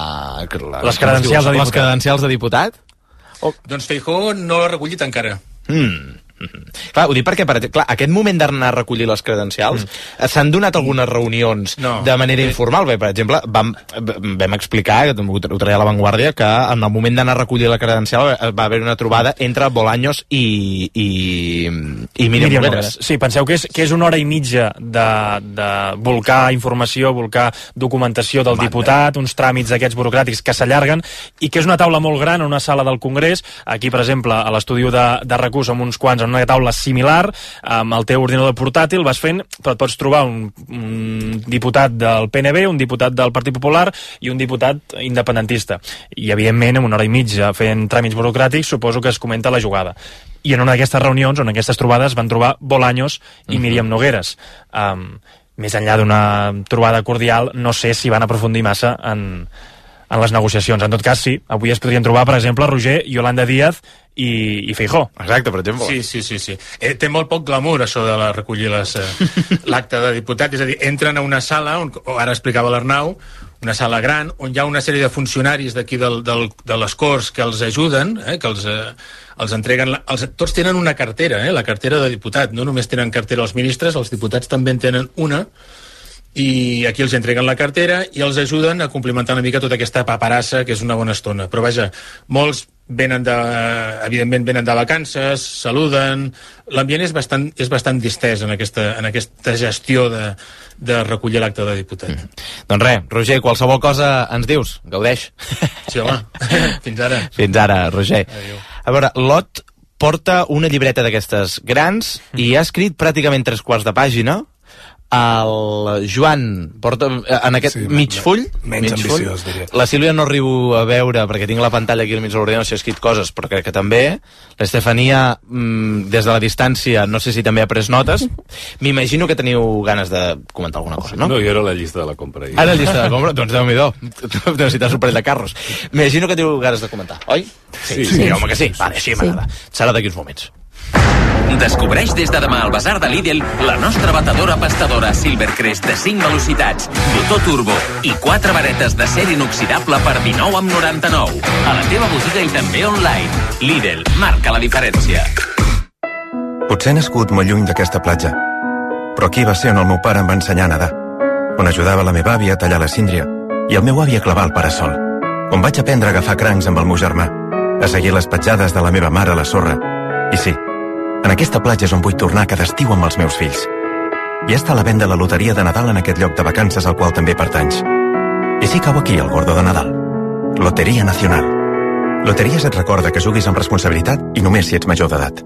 la les credencials de diputat. Les credencials de diputat? O... Doncs Feijóo no l'ha recollit encara. Mm. Clar, ho dic perquè, per, clar, aquest moment d'anar a recollir les credencials mm. s'han donat algunes reunions no. de manera informal. Bé, per exemple, vam, vam explicar, ho traia a La Vanguardia, que en el moment d'anar a recollir la credencial va haver una trobada entre Bolaños i, i, i Míriam, Míriam Nogueras. Sí, penseu que és, que és una hora i mitja de, de volcar informació, volcar documentació del Manda. diputat, uns tràmits d'aquests burocràtics que s'allarguen, i que és una taula molt gran, una sala del Congrés. Aquí, per exemple, a l'estudi de, de recurs, amb uns quants, en una taula similar, amb el teu ordinador portàtil vas fent, però et pots trobar un, un diputat del P N B, un diputat del Partit Popular i un diputat independentista. I, evidentment, en una hora i mitja fent tràmits burocràtics, suposo que es comenta la jugada. I en una d'aquestes reunions, en aquestes trobades, van trobar Bolaños i Míriam Nogueras. Um, més enllà d'una trobada cordial, no sé si van aprofundir massa en, en les negociacions. En tot cas, sí, avui es podrien trobar, per exemple, Roger, Yolanda Díaz i, i Feijóo. Exacte, per exemple. Sí, sí, sí. sí. Eh, té molt poc glamour, això de la, recollir les, eh, l'acte de diputat. És a dir, entren a una sala, on, ara explicava l'Arnau, una sala gran, on hi ha una sèrie de funcionaris d'aquí del, del, de les Corts que els ajuden, eh, que els, eh, els entreguen... Els, tots tenen una cartera, eh, la cartera de diputat. No només tenen cartera els ministres, els diputats també en tenen una, i aquí els entreguen la cartera i els ajuden a complimentar una mica tota aquesta paperassa, que és una bona estona. Però vaja, molts venen de, evidentment venen de vacances, saluden, l'ambient és bastant, és bastant distès en aquesta, en aquesta gestió de, de recollir l'acte de diputat. Mm. Doncs res, Roger, qualsevol cosa ens dius, gaudeix. Sí, home, fins ara. Fins ara, Roger. Adéu. A veure, Lot porta una llibreta d'aquestes grans mm. i ha escrit pràcticament tres quarts de pàgina. El Joan porta en aquest sí, mig full, menys mig ambiciós, full. Diria. La Sílvia no arribo a veure perquè tinc la pantalla aquí al mig de l'ordinador, si ha escrit coses, però crec que també. L'Estefania, mmm, des de la distància, no sé si també ha pres notes. M'imagino que teniu ganes de comentar alguna cosa, no? No, jo era la llista de la compra. Ara la llista de la compra? Doncs Déu-n'hi-do, necessites un parell de carros. M'imagino que teniu ganes de comentar, oi? Sí, sí, sí, sí home que sí. Vale, així m'agrada. Serà d'aquí uns moments. Descobreix des de demà al Basar de Lidl la nostra batedora pastadora Silvercrest de cinc velocitats, motor turbo i quatre varetes d'acer inoxidable per dinou amb noranta-nou. A la teva botiga i també online. Lidl, marca la diferència. Potser he nascut molt lluny d'aquesta platja, però aquí va ser on el meu pare em va ensenyar a nedar, on ajudava la meva àvia a tallar la síndria i el meu avi a clavar el parasol, on vaig aprendre a agafar crancs amb el meu germà, a seguir les petjades de la meva mare a la sorra. I sí, en aquesta platja és on vull tornar cada estiu amb els meus fills. Ja està a la venda la loteria de Nadal en aquest lloc de vacances al qual també pertanys. I sí cau aquí el gordo de Nadal. Loteria Nacional. Loteries et recorda que juguis amb responsabilitat i només si ets major d'edat.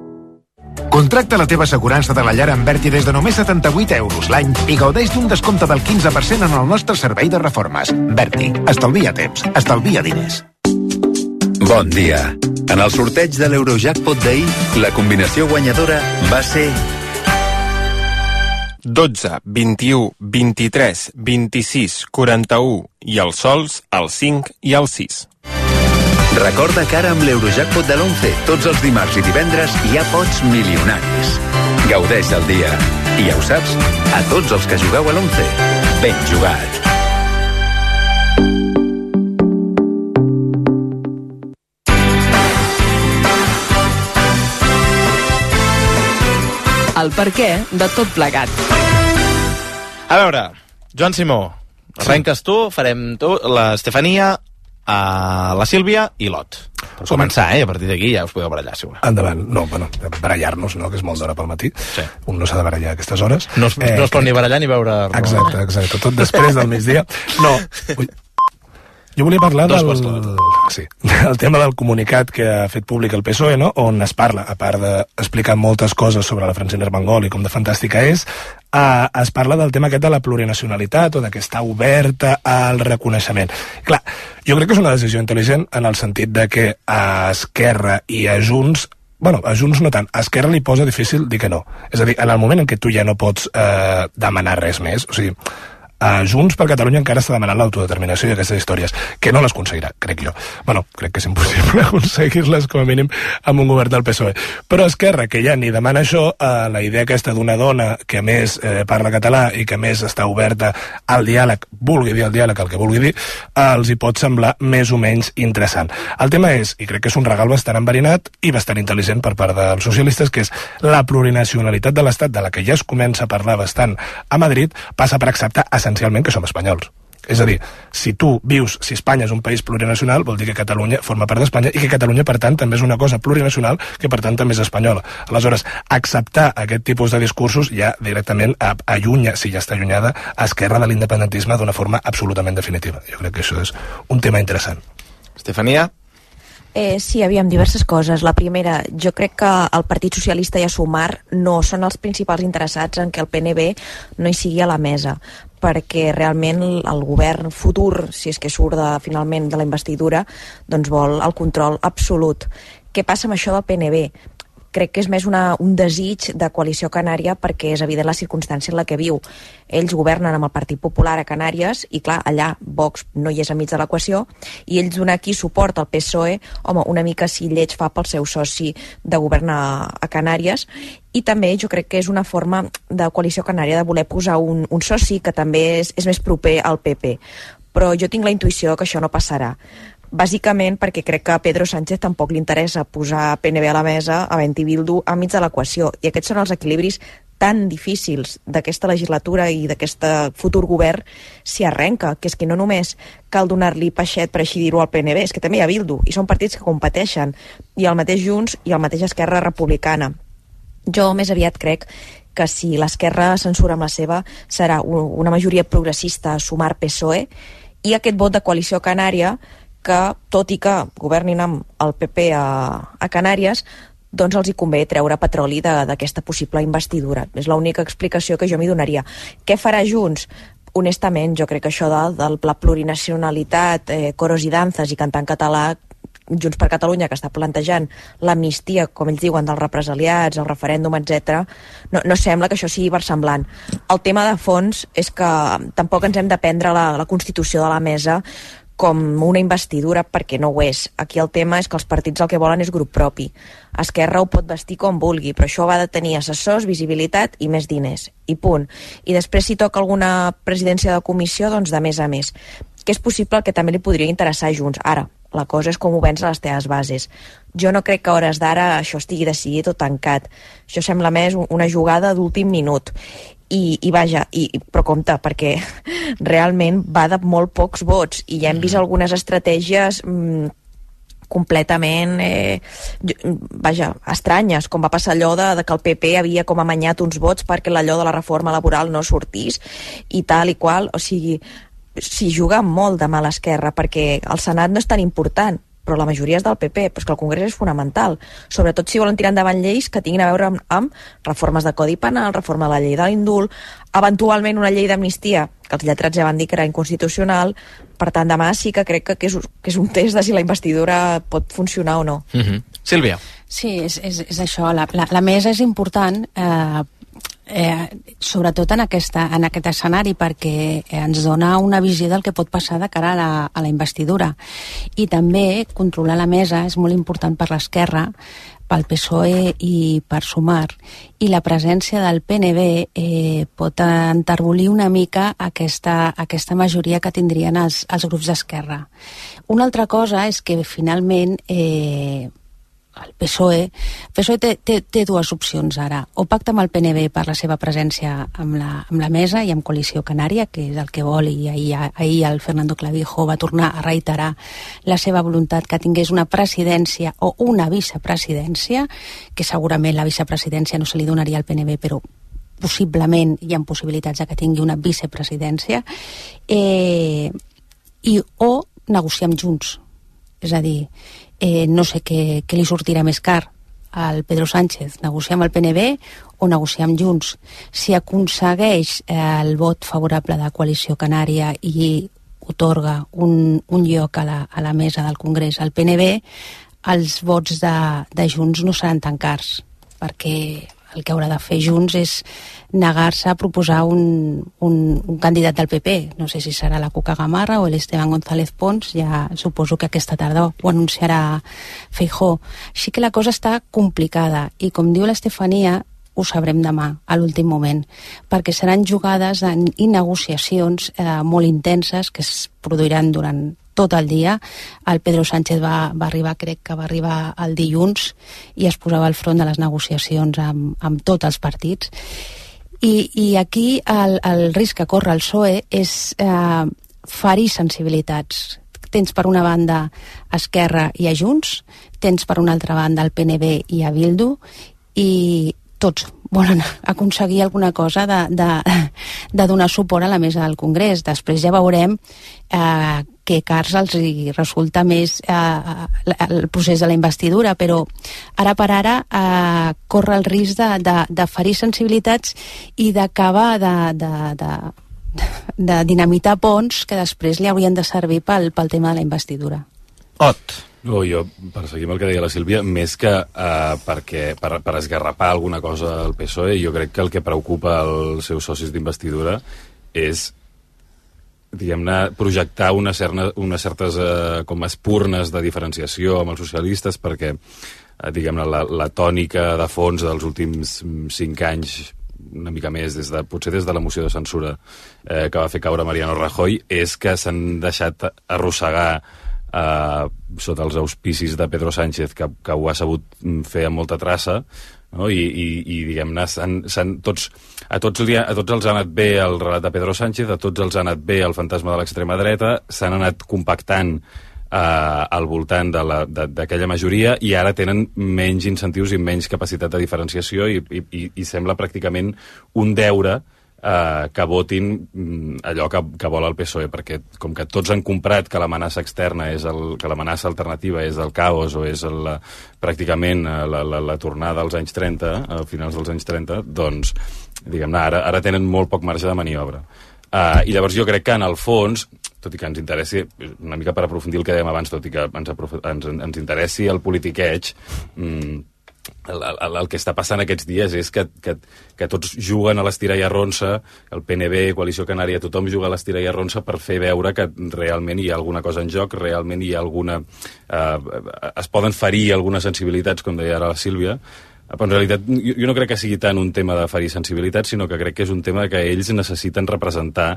Contracta la teva assegurança de la llar amb Berti des de només setanta-vuit euros l'any i gaudeix d'un descompte del quinze per cent en el nostre servei de reformes. Berti, estalvia temps, estalvia diners. Bon dia. En el sorteig de l'Eurojackpot d'ahir, la combinació guanyadora va ser dotze, vint-i-u, vint-i-tres, vint-i-sis, quaranta-u i els sols al cinc i al sis. Recorda que ara amb l'Eurojackpot de l'onze, tots els dimarts i divendres hi ha pots milionaris. Gaudeix del dia. I ja ho saps, a tots els que jugueu a l'onze, ben jugat. El perquè de tot plegat. A veure, Joan Simó, arrenques tu, farem tu, l'Estefania, a la Sílvia i l'Ot. Per començar, eh? A partir d'aquí ja us podeu barallar, si voleu. Endavant. No, bueno, barallar-nos, no?, que és molt d'hora pel matí. Sí. Un no s'ha de barallar a aquestes hores. No es, eh, no es pot ni barallar ni veure... Exacte, exacte. Tot després del migdia. No, ui, jo volia parlar del, sí, del tema del comunicat que ha fet públic el P S O E, no?, on es parla, a part d'explicar moltes coses sobre la Francina Armengol i com de fantàstica és, Uh, es parla del tema aquest de la plurinacionalitat o de que està oberta al reconeixement. Clar, jo crec que és una decisió intel·ligent en el sentit de que a Esquerra i a Junts, bueno, a Junts no tant, a Esquerra li posa difícil dir que no. És a dir, en el moment en què tu ja no pots uh, demanar res més, o sigui, a Junts per Catalunya encara està demanant l'autodeterminació i aquestes històries, que no les aconseguirà, crec jo. Bueno, crec que és impossible aconseguir-les com a mínim amb un govern del P S O E. Però Esquerra, que ja ni demana això, eh, la idea aquesta d'una dona que a més eh, parla català i que a més està oberta al diàleg, vulgui dir el diàleg el que vulgui dir, eh, els hi pot semblar més o menys interessant. El tema és, i crec que és un regal bastant enverinat i bastant intel·ligent per part dels socialistes, que és la plurinacionalitat de l'Estat, de la que ja es comença a parlar bastant a Madrid, passa per acceptar essencialment que som espanyols. És a dir, si tu vius, si Espanya és un país plurinacional, vol dir que Catalunya forma part d'Espanya i que Catalunya, per tant, també és una cosa plurinacional que, per tant, també és espanyola. Aleshores, acceptar aquest tipus de discursos ja directament allunya, si ja està allunyada, a Esquerra de l'independentisme d'una forma absolutament definitiva. Jo crec que això és un tema interessant. Estefania? Eh, sí, aviam, diverses coses. La primera, jo crec que el Partit Socialista i a Sumar no són els principals interessats en que el P N B no hi sigui a la mesa, perquè realment el govern futur, si és que surt de, finalment de la investidura, doncs vol el control absolut. Què passa amb això del P N B? Crec que és més una, un desig de coalició canària perquè és evident la circumstància en la que viu. Ells governen amb el Partit Popular a Canàries i, clar, allà Vox no hi és enmig de l'equació i ells donen aquí suport al P S O E, home, una mica si lleig fa pel seu soci de govern a, a Canàries. I també jo crec que és una forma de coalició canària de voler posar un, un soci que també és, és més proper al P P. Però jo tinc la intuïció que això no passarà. Bàsicament perquè crec que a Pedro Sánchez tampoc li interessa posar P N B a la mesa, a Vent i Bildu enmig de l'equació, i aquests són els equilibris tan difícils d'aquesta legislatura i d'aquest futur govern si arrenca, que és que no només cal donar-li peixet, per així dir-ho, al P N B, és que també hi ha Bildu, i són partits que competeixen, i el mateix Junts i el mateix Esquerra Republicana. Jo més aviat crec que si l'Esquerra censura amb la seva serà una majoria progressista a Sumar P S O E, i aquest vot de coalició canària que, tot i que governin amb el P P a, a Canàries, doncs els hi convé treure petroli d'aquesta possible investidura. És l'única explicació que jo m'hi donaria. Què farà Junts? Honestament, jo crec que això de, de la plurinacionalitat, eh, coros i danzas i cantar en català, Junts per Catalunya, que està plantejant l'amnistia, com ells diuen, dels represaliats, el referèndum, etcètera, no, no sembla que això sigui versemblant. El tema de fons és que tampoc ens hem de prendre la, la Constitució de la mesa com una investidura, perquè no ho és. Aquí el tema és que els partits el que volen és grup propi. Esquerra ho pot vestir com vulgui, però això va de tenir assessors, visibilitat i més diners. I punt. I després, si toca alguna presidència de comissió, doncs de més a més. Que és possible que també li podria interessar a Junts. Ara, la cosa és com ho vens a les teves bases. Jo no crec que a hores d'ara això estigui decidit o tancat. Això sembla més una jugada d'últim minut. I, i vaja, i, però compte, perquè realment va de molt pocs vots i ja hem vist algunes estratègies mmm, completament eh, vaja, estranyes, com va passar allò de, de que el P P havia com amanyat uns vots perquè allò de la reforma laboral no sortís i tal i qual, o sigui, s'hi juga molt de mà a l'esquerra, perquè el Senat no és tan important, però la majoria és del P P, però és que el Congrés és fonamental, sobretot si volen tirar endavant lleis que tinguin a veure amb, amb reformes de Codi Penal, reforma de la llei de l'indult, eventualment una llei d'amnistia, que els lletrats ja van dir que era inconstitucional. Per tant, demà sí que crec que, que, és, que és un test de si la investidura pot funcionar o no. Mm-hmm. Sílvia. Sí, és, és, és això, la, la, la mesa és important, eh, Eh, sobretot en, aquesta, en aquest escenari, perquè ens dona una visió del que pot passar de cara a la, a la investidura. I també controlar la mesa és molt important per l'esquerra, pel P S O E i per Sumar, i la presència del P N B eh, pot enterbolir una mica aquesta, aquesta majoria que tindrien els, els grups d'esquerra. Una altra cosa és que finalment eh, el P S O E, el P S O E té, té, té dues opcions ara, o pacta amb el P N B per la seva presència amb la, amb la mesa i amb Coalició Canària, que és el que vol, i ahir, ahir el Fernando Clavijo va tornar a reiterar la seva voluntat que tingués una presidència o una vicepresidència, que segurament la vicepresidència no se li donaria al P N B, però possiblement hi ha possibilitats de que tingui una vicepresidència, eh, i o negociar amb Junts, és a dir, Eh, no sé què, què li sortirà més car al Pedro Sánchez, negociar amb el P N B o negociar amb Junts. Si aconsegueix eh, el vot favorable de Coalició Canària i otorga un, un lloc a la, a la mesa del Congrés al P N B, els vots de, de Junts no seran tan cars, perquè el que haurà de fer Junts és negar-se a proposar un, un, un candidat del P P. No sé si serà la Cuca Gamarra o l'Esteban González Pons, ja suposo que aquesta tarda ho anunciarà Feijóo. Així que la cosa està complicada i, com diu l'Estefania, ho sabrem demà, a l'últim moment, perquè seran jugades en, i negociacions eh, molt intenses que es produiran durant tot el dia. El Pedro Sánchez va, va arribar, crec que va arribar el dilluns, i es posava al front de les negociacions amb, amb tots els partits. I, i aquí el, el risc que corre el P S O E és eh, ferir sensibilitats. Tens per una banda Esquerra i a Junts, tens per una altra banda el P N B i a Bildu, i tots volen aconseguir alguna cosa de, de, de donar suport a la mesa del Congrés. Després ja veurem eh, què cars els hi resulta més eh, el procés de la investidura, però ara per ara eh, corre el risc de, de, de ferir sensibilitats i d'acabar de, de, de, de dinamitar ponts que després li haurien de servir pel, pel tema de la investidura. Ot. No, jo, per seguir amb el que deia la Sílvia, més que uh, perquè, per, per esgarrapar alguna cosa al P S O E, jo crec que el que preocupa els seus socis d'investidura és, diguem-ne, projectar una cerna, unes certes uh, com espurnes de diferenciació amb els socialistes, perquè, uh, diguem-ne, la, la tònica de fons dels últims cinc anys, una mica més, des de, potser des de la moció de censura eh, que va fer caure Mariano Rajoy, és que s'han deixat arrossegar Uh, sota els auspicis de Pedro Sánchez, que, que ho ha sabut fer amb molta traça, no? I, i, i diguem-ne, s'han, s'han, tots, a, tots li, a tots els ha anat bé el relat de Pedro Sánchez, a tots els ha anat bé el fantasma de l'extrema dreta, s'han anat compactant uh, al voltant d'aquella majoria, i ara tenen menys incentius i menys capacitat de diferenciació, i, i, i sembla pràcticament un deure Uh, que votin mm, allò que, que vol el P S O E, perquè com que tots han comprat que l'amenaça externa és el, que l'amenaça alternativa és el caos o és el, pràcticament la, la, la tornada als anys trenta, a finals dels anys trenta, doncs diguem-ne, ara, ara tenen molt poc marge de maniobra. Uh, I llavors jo crec que en el fons, tot i que ens interessi, una mica per aprofundir el que dèiem abans, tot i que ens, ens, ens interessi el politiqueig, mm, El, el, el que està passant aquests dies és que, que, que tots juguen a l'estira i arronsa, el P N B, Coalició Canària, tothom juga a l'estira i arronsa per fer veure que realment hi ha alguna cosa en joc, realment hi ha alguna... Eh, es poden ferir algunes sensibilitats, com deia ara la Sílvia, però en realitat jo, jo no crec que sigui tant un tema de ferir sensibilitats, sinó que crec que és un tema que ells necessiten representar,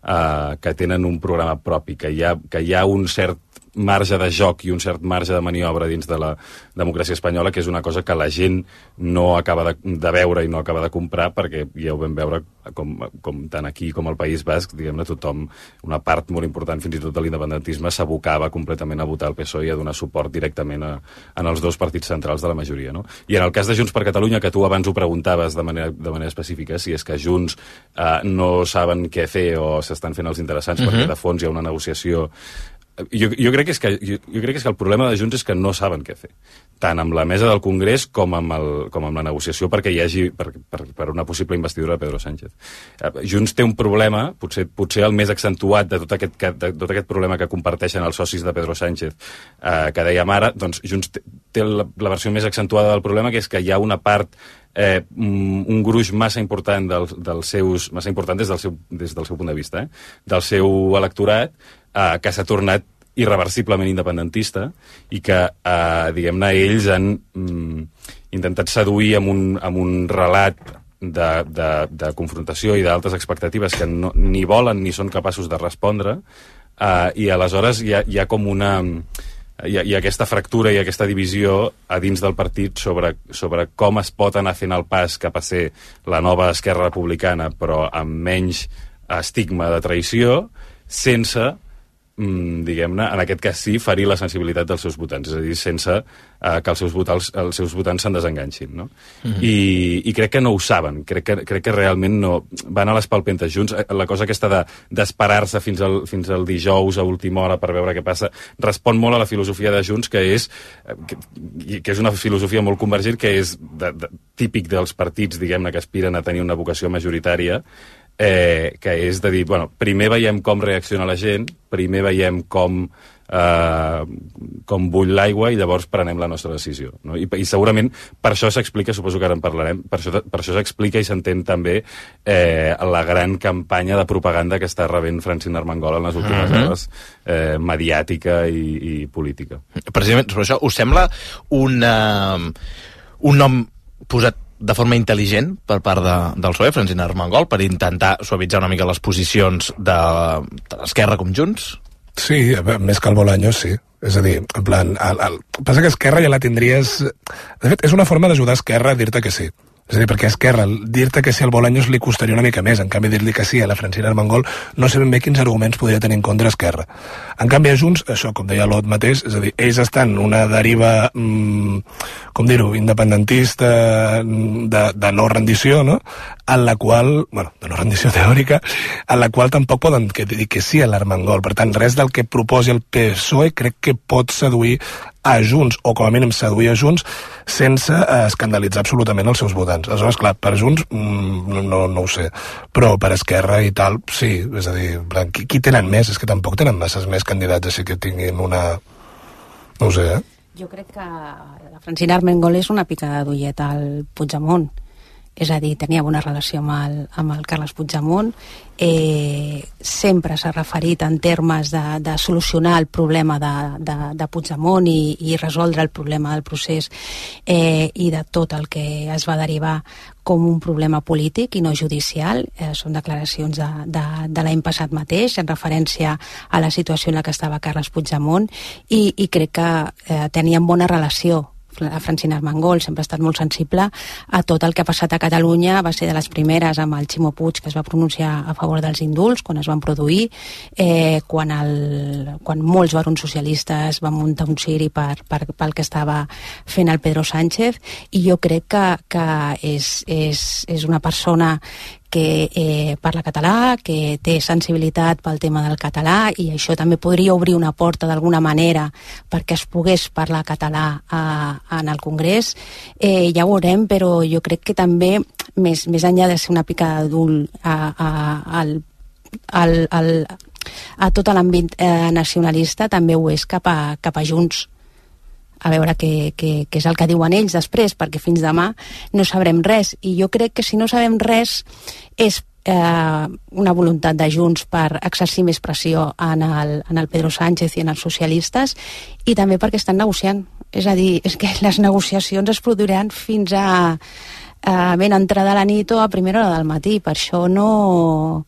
eh, que tenen un programa propi, que hi ha, que hi ha un cert marge de joc i un cert marge de maniobra dins de la democràcia espanyola, que és una cosa que la gent no acaba de, de veure i no acaba de comprar, perquè ja ho vam veure com, com tant aquí com al País Basc, diguem-ne, tothom, una part molt important fins i tot de l'independentisme s'abocava completament a votar el P S O E i a donar suport directament a, en els dos partits centrals de la majoria, no? I en el cas de Junts per Catalunya, que tu abans ho preguntaves de manera, de manera específica, si és que Junts eh, no saben què fer o s'estan fent els interessants, uh-huh. perquè de fons hi ha una negociació. Jo, jo, crec que és que, jo, jo crec que és que el problema de Junts és que no saben què fer, tant amb la mesa del Congrés com amb, el, com amb la negociació perquè hi hagi per, per, per una possible investidura de Pedro Sánchez. Junts té un problema, potser, potser el més accentuat de tot aquest, de tot aquest problema que comparteixen els socis de Pedro Sánchez, eh, que dèiem ara, doncs Junts té, té la, la versió més accentuada del problema, que és que hi ha una part eh, un gruix massa important del, dels seus, massa important des del seu, des del seu punt de vista, eh, del seu electorat, eh, que s'ha tornat irreversiblement independentista i que, eh, diguem-ne, ells han mm, intentat seduir amb un, amb un relat de, de, de confrontació i d'altes expectatives que no, ni volen ni són capaços de respondre, eh, i aleshores hi ha, hi ha com una... Hi ha, hi ha aquesta fractura i aquesta divisió a dins del partit sobre, sobre com es pot anar fent el pas cap a ser la nova Esquerra Republicana, però amb menys estigma de traïció, sense, mm, diguem-ne, en aquest cas sí, ferir la sensibilitat dels seus votants, és a dir, sense eh, que els seus votants, els seus votants se'n desenganxin, no? Mm-hmm. I, I crec que no ho saben, crec que, crec que realment no... Van a les palpentes junts. La cosa aquesta de, d'esperar-se fins al, fins al dijous a última hora per veure què passa, respon molt a la filosofia de Junts, que és, que, que és una filosofia molt convergent, que és de, de, típic dels partits, diguem-ne, que aspiren a tenir una vocació majoritària, eh, que és de dir, bueno, primer veiem com reacciona la gent, primer veiem com Uh, com bull l'aigua i llavors prenem la nostra decisió, no? I, i segurament per això s'explica, suposo que ara en parlarem, per això, per això s'explica i s'entén també eh, la gran campanya de propaganda que està rebent Francina Armengol en les últimes uh-huh. hores, eh, mediàtica i, i política. Precisament sobre això, us sembla una, un nom posat de forma intel·ligent per part de, del P S O E, Francina Armengol, per intentar suavitzar una mica les posicions de, de l'Esquerra com Junts? Sí, més que el Bolaños, sí. És a dir, en plan... El, el... Passa que Esquerra ja la tindries... De fet, és una forma d'ajudar Esquerra a dir-te que sí. És a dir, perquè a Esquerra, dir-te que sí al Bolaños li costaria una mica més. En canvi, dir-li que sí a la Francina Armengol no sé ben bé quins arguments podria tenir en contra Esquerra. En canvi, a Junts, això, com deia l'Ot mateix, és a dir, ells estan en una deriva, mmm, com dir-ho, independentista, de, de no rendició, no?, en la qual, bueno, de no rendició teòrica, en la qual tampoc poden dir que sí a l'Armengol. Per tant, res del que proposi el P S O E crec que pot seduir a Junts, o com a mínim seduir a Junts, sense eh, escandalitzar absolutament els seus votants. Aleshores, clar, per Junts mm, no, no ho sé, però per Esquerra i tal, sí, és a dir, qui, qui tenen més? És que tampoc tenen masses més candidats així que tinguin una... no ho sé, eh? Jo crec que la Francina Armengol és una picada d'ullet al Puigdemont. És a dir, tenia bona relació amb el, amb el Carles Puigdemont, eh, sempre s'ha referit en termes de, de solucionar el problema de, de, de Puigdemont i, i resoldre el problema del procés eh, i de tot el que es va derivar com un problema polític i no judicial. Eh, són declaracions de, de, de l'any passat mateix, en referència a la situació en la que estava Carles Puigdemont, i, i crec que eh, tenien bona relació. La Francina Armengol sempre ha estat molt sensible a tot el que ha passat a Catalunya, va ser de les primeres amb el Ximo Puig, que es va pronunciar a favor dels indults quan es van produir, eh, quan, el, quan molts barons socialistes van muntar un ciri per, per, pel que estava fent el Pedro Sánchez, i jo crec que, que és, és, és una persona que eh, parla català, que té sensibilitat pel tema del català, i això també podria obrir una porta d'alguna manera perquè es pogués parlar català a, en el Congrés. Eh, ja ho veurem, però jo crec que també, més, més enllà de ser una picada d'ull a, a, al, al, al, a tot l'àmbit eh, nacionalista, també ho és cap a, cap a Junts. A veure què, què, què és el que diuen ells després, perquè fins demà no sabrem res, i jo crec que si no sabem res és eh, una voluntat de Junts per exercir més pressió en el, en el Pedro Sánchez i en els socialistes, i també perquè estan negociant. És a dir, és que les negociacions es produiran fins a, a ben entrada la nit o a primera hora del matí, per això no...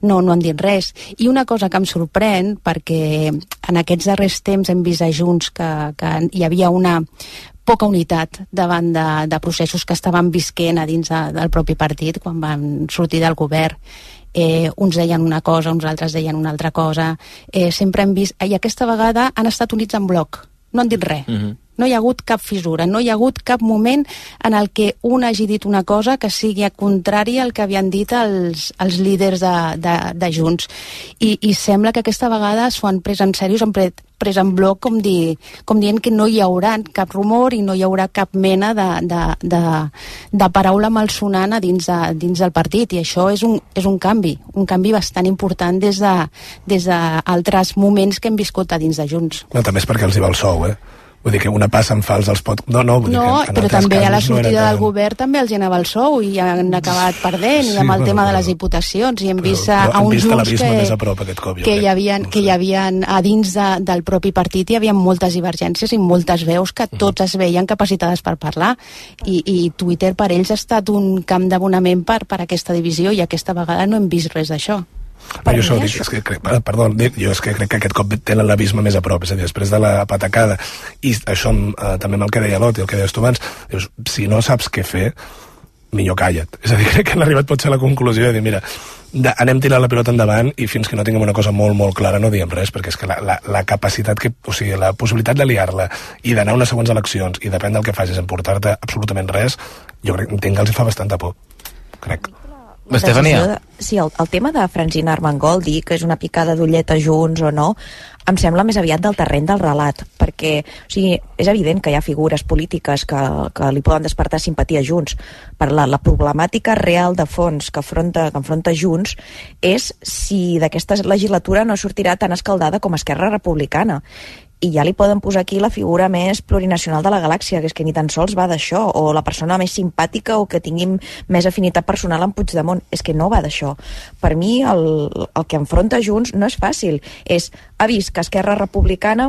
No, no han dit res. I una cosa que em sorprèn, perquè en aquests darrers temps hem vist a Junts que, que hi havia una poca unitat davant de, de processos que estaven visquent a dins de, del propi partit quan van sortir del govern. Eh, uns deien una cosa, uns altres deien una altra cosa. Eh, sempre hem vist... I aquesta vegada han estat units en bloc. No han dit res. Mm-hmm. No hi ha hagut cap fissura, no hi ha hagut cap moment en el que un hagi dit una cosa que sigui contrària al que havien dit els, els líders de, de, de Junts. I, I sembla que aquesta vegada s'ho han pres en sèrio, s'han pres, pres en bloc, com, dir, com dient que no hi haurà cap rumor i no hi haurà cap mena de, de, de, de paraula malsonant a dins, de, dins del partit. I això és un, és un canvi, un canvi bastant important des de, des d'altres moments que hem viscut a dins de Junts. No, també és perquè els hi va el sou, eh? Vull dir que una passa en fals els pot... No, no, vull dir No, que en però altres també a la casos no era sortida tan- del govern també els hi anava el sou i han acabat perdent, Sí, i amb el bueno, tema de però- les diputacions, i hem vist però a hem uns vist junts l'abisme que, més a prop aquest cop, jo que, crec. hi havia, que hi havia a dins de, del propi partit hi havia moltes divergències i moltes veus que tots es veien capacitades per parlar, i, i Twitter per ells ha estat un camp d'abonament per, per aquesta divisió, i aquesta vegada no hem vist res d'això. Però jo això dic, és que, crec, perdó, dic, jo és que crec que aquest cop tenen l'abisme més a prop, és a dir, després de la patacada, i això eh, també amb el que deia l'Ot i el que deies tu abans, dius, si no saps què fer, millor calla't. És a dir, crec que han arribat potser a la conclusió de dir, mira, de, anem tirant la pilota endavant i fins que no tinguem una cosa molt, molt clara no diem res, perquè és que la, la, la capacitat que, o sigui, la possibilitat de liar-la i d'anar a unes següents eleccions i depèn del que facis en portar-te absolutament res, jo crec, entenc que els hi fa bastanta por, crec. Estefania. Sí, el, el tema de Francina Armengol, dir que és una picada d'ullet a Junts o no, em sembla més aviat del terreny del relat, perquè o sigui, és evident que hi ha figures polítiques que, que li poden despertar simpatia a Junts, per la, la problemàtica real de fons que afronta, que enfronta Junts és si d'aquesta legislatura no sortirà tan escaldada com Esquerra Republicana. I ja li poden posar aquí la figura més plurinacional de la galàxia, que és que ni tan sols va d'això, o la persona més simpàtica o que tingui més afinitat personal amb Puigdemont. És que no va d'això. Per mi el, el que enfronta Junts no és fàcil. És, ha vist que Esquerra Republicana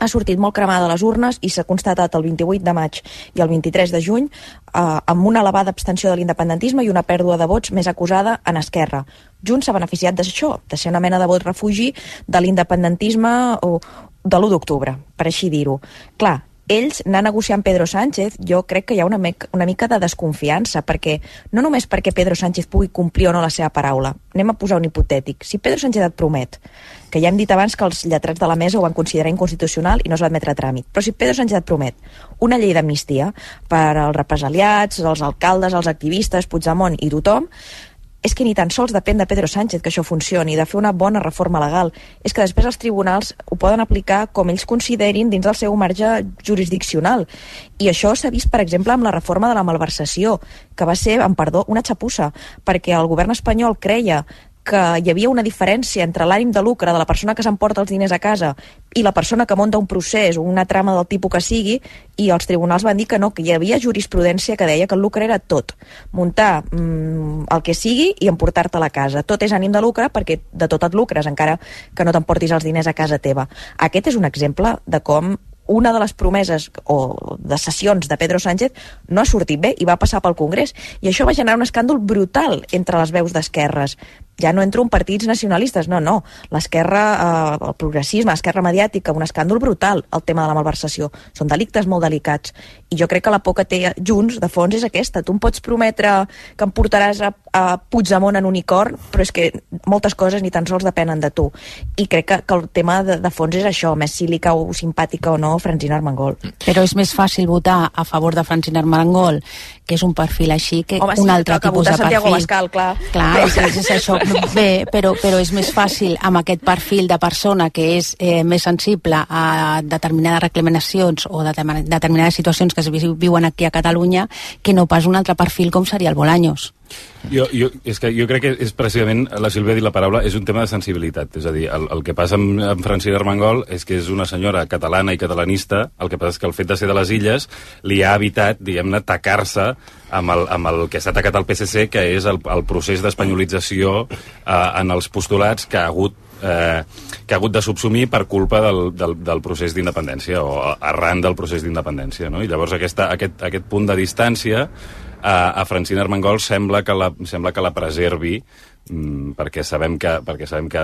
ha sortit molt cremada a les urnes i s'ha constatat el vint-i-vuit de maig i el vint-i-tres de juny eh, amb una elevada abstenció de l'independentisme i una pèrdua de vots més acusada en Esquerra. Junts s'ha beneficiat d'això, de ser una mena de vot refugi de l'independentisme o de l'u d'octubre, per així dir-ho. Clar, ells anar negociant Pedro Sánchez, jo crec que hi ha una, me una mica de desconfiança, perquè no només perquè Pedro Sánchez pugui complir o no la seva paraula. Anem a posar un hipotètic. Si Pedro Sánchez et promet, que ja hem dit abans que els lletrats de la mesa ho van considerar inconstitucional i no es va admetre a tràmit, però si Pedro Sánchez et promet una llei d'amnistia per als represaliats, els alcaldes, els activistes, Puigdemont i tothom, és que ni tan sols depèn de Pedro Sánchez que això funcioni, de fer una bona reforma legal. És que després els tribunals ho poden aplicar com ells considerin dins del seu marge jurisdiccional. I això s'ha vist, per exemple, amb la reforma de la malversació, que va ser, amb perdó, una xapussa, perquè el govern espanyol creia que hi havia una diferència entre l'ànim de lucre de la persona que s'emporta els diners a casa i la persona que munta un procés o una trama del tipus que sigui, i els tribunals van dir que no, que hi havia jurisprudència que deia que el lucre era tot. Muntar mmm, el que sigui i emportar-te a la casa. Tot és ànim de lucre perquè de tot et lucres, encara que no t'emportis els diners a casa teva. Aquest és un exemple de com una de les promeses o de sessions de Pedro Sánchez no ha sortit bé i va passar pel Congrés. I això va generar un escàndol brutal entre les veus d'esquerres. Ja no entro en partits nacionalistes, no, no. L'esquerra, eh, el progressisme, l'esquerra mediàtica, un escàndol brutal, el tema de la malversació. Són delictes molt delicats. I jo crec que la por que té Junts, de fons, és aquesta. Tu em pots prometre que em portaràs a, a Puigdemont en unicorn, però és que moltes coses ni tan sols depenen de tu. I crec que, que el tema de, de fons és això, més si li cau simpàtica o no Francina Armengol. Però és més fàcil votar a favor de Francina Armengol, que és un perfil així, que Home, un sí, altre que tipus de Santiago perfil. Abascal, clar. Clar, és, és, és això. Bé, però, però és més fàcil amb aquest perfil de persona que és eh, més sensible a determinades reclamacions o de determinades situacions que es viuen aquí a Catalunya, que no pas un altre perfil com seria el Bolaños. Jo, jo, és que jo crec que és precisament, la Sílvia ha dit la paraula, és un tema de sensibilitat. És a dir, el, el que passa amb, amb Francina Armengol és que és una senyora catalana i catalanista, el que passa és que el fet de ser de les illes li ha evitat, diguem-ne, tacar-se amb el, amb el que s'ha atacat al P S C, que és el, el procés d'espanyolització eh, en els postulats que ha hagut Eh, que ha hagut de subsumir per culpa del, del, del procés d'independència o arran del procés d'independència, no? I llavors aquesta, aquest, aquest punt de distància eh, a Francina Armengol sembla que la, sembla que la preservi, mm, perquè sabem que perquè sabem que,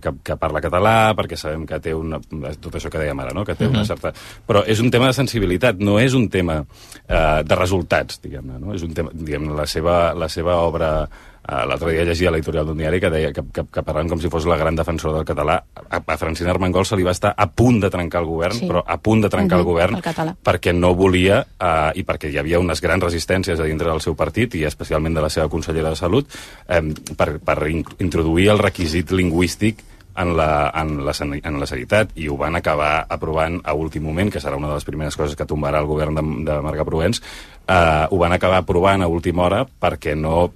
que, que parla català, perquè sabem que té una, tot això que dèiem ara, no? Que té una certa... Però és un tema de sensibilitat, no és un tema eh, de resultats, diguem-ne, no? És un tema, diguem-ne, la seva, la seva obra... Uh, l'altre dia llegia a l'editorial d'un diari que deia que, que, que parlant com si fos la gran defensora del català, a, a Francina Armengol se li va estar a punt de trencar el govern, sí. però a punt de trencar uh-huh, el govern el perquè no volia, uh, i perquè hi havia unes grans resistències a dintre del seu partit i especialment de la seva consellera de Salut, um, per, per in introduir el requisit lingüístic en la, en, la, en la sanitat, i ho van acabar aprovant a últim moment, que serà una de les primeres coses que tombarà el govern de, de Marga Provenç. Uh, ho van acabar aprovant a última hora perquè no...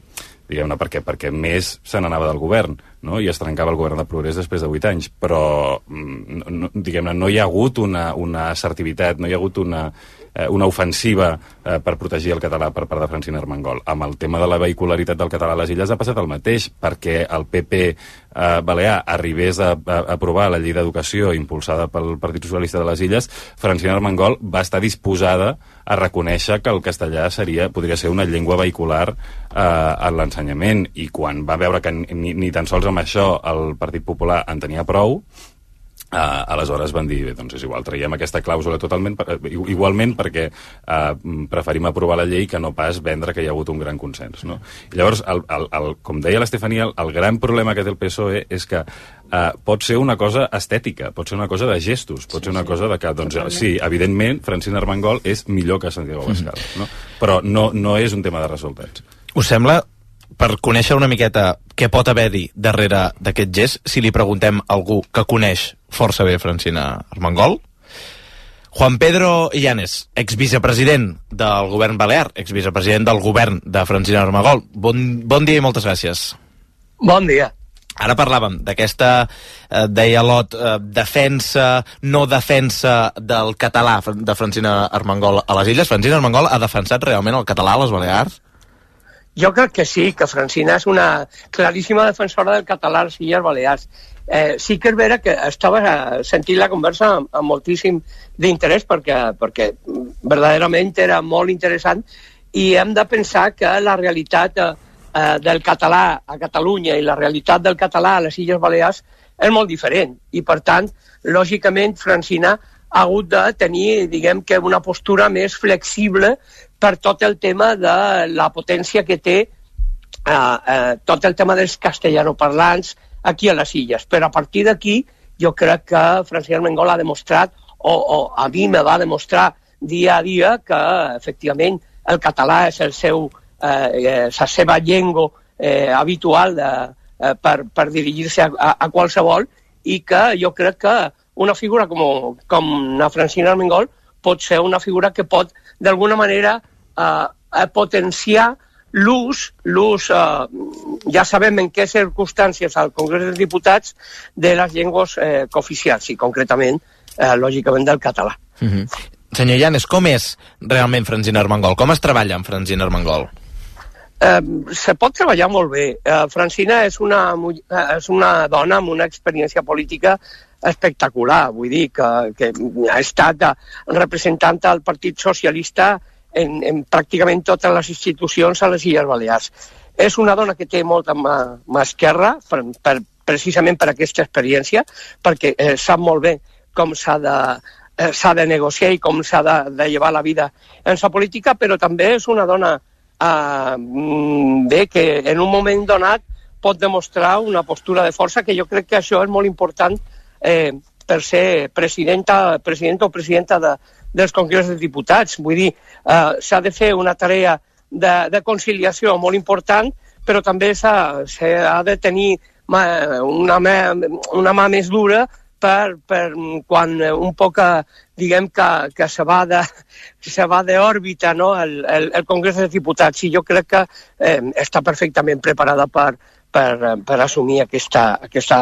diguem-ne, perquè, perquè més se n'anava del govern, no? I es trencava el govern de Progrés després de vuit anys, però no, diguem-ne, no hi ha hagut una, una assertivitat, no hi ha hagut una, eh, una ofensiva eh, per protegir el català per part de Francina Armengol. Amb el tema de la vehicularitat del català a les illes ha passat el mateix, perquè el P P eh, balear arribés a, a, a aprovar la llei d'educació impulsada pel Partit Socialista de les Illes, Francina Armengol va estar disposada a reconèixer que el castellà seria, podria ser una llengua vehicular eh, en l'ensenyament, i quan va veure que ni, ni tan sols amb això el Partit Popular en tenia prou, Uh, aleshores van dir, doncs és igual, traiem aquesta clàusula totalment, per, igualment perquè uh, preferim aprovar la llei que no pas vendre que hi ha hagut un gran consens, no? I llavors, el, el, el, com deia l'Estefania, el, el gran problema que té el P S O E és que uh, pot ser una cosa estètica, pot ser una cosa de gestos, pot sí, ser una sí. cosa de que, doncs, totalment. Sí, evidentment, Francina Armengol és millor que Santiago Abascal, mm-hmm. no? Però no, no és un tema de resultats. Us sembla, per conèixer una miqueta què pot haver-hi darrere d'aquest gest, si li preguntem a algú que coneix força bé Francina Armengol? Juan Pedro Illanes, exvicepresident del govern balear, exvicepresident del govern de Francina Armengol. Bon, bon dia i moltes gràcies. Bon dia. Ara parlàvem d'aquesta, eh, deia Lot, eh, defensa, no defensa del català de Francina Armengol a les Illes. Francina Armengol ha defensat realment el català a les Balears? Jo crec que sí, que Francina és una claríssima defensora del català a les Illes Balears. Eh, sí que és vera que estava sentint la conversa amb, amb moltíssim d'interès perquè, perquè verdaderament era molt interessant, i hem de pensar que la realitat eh, del català a Catalunya i la realitat del català a les Illes Balears és molt diferent, i per tant, lògicament, Francina ha hagut de tenir, diguem que, una postura més flexible per tot el tema de la potència que té eh, eh, tot el tema dels castellanoparlants aquí a les illes. Però a partir d'aquí jo crec que Francina Armengol ha demostrat, o, o a mi me va demostrar dia a dia, que efectivament el català és el seu, eh, la seva llengua eh, habitual de, eh, per, per dirigir-se a, a, a qualsevol, i que jo crec que una figura com, com la Francina Armengol pot ser una figura que pot d'alguna manera eh, potenciar l'ús, l'ús eh, ja sabem en què circumstàncies al Congrés dels Diputats, de les llengües eh, cooficials, i concretament, eh, lògicament, del català. Mm-hmm. Senyor Illanes, com és realment Francina Armengol? Com es treballa amb Francina Armengol? Eh, se pot treballar molt bé. Eh, Francina és una, és una dona amb una experiència política espectacular, vull dir que, que ha estat representant del Partit Socialista en, en pràcticament totes les institucions a les Illes Balears. És una dona que té molta mà, mà esquerra, per, per, precisament per aquesta experiència, perquè eh, sap molt bé com s'ha de, eh, s'ha de negociar i com s'ha de, de llevar la vida en la política, però també és una dona eh, bé, que en un moment donat pot demostrar una postura de força, que jo crec que això és molt important eh, per ser presidenta, presidenta o presidenta de, dels Congrés dels Diputats. Vull dir, eh, s'ha de fer una tarea de, de conciliació molt important, però també s'ha, s'ha de tenir mà, una, mà, una mà més dura per, per quan un poc, diguem, que, que se va de, se va d'òrbita, no?, el, el, el Congrés dels Diputats. I jo crec que eh, està perfectament preparada per, per, per assumir aquesta, aquesta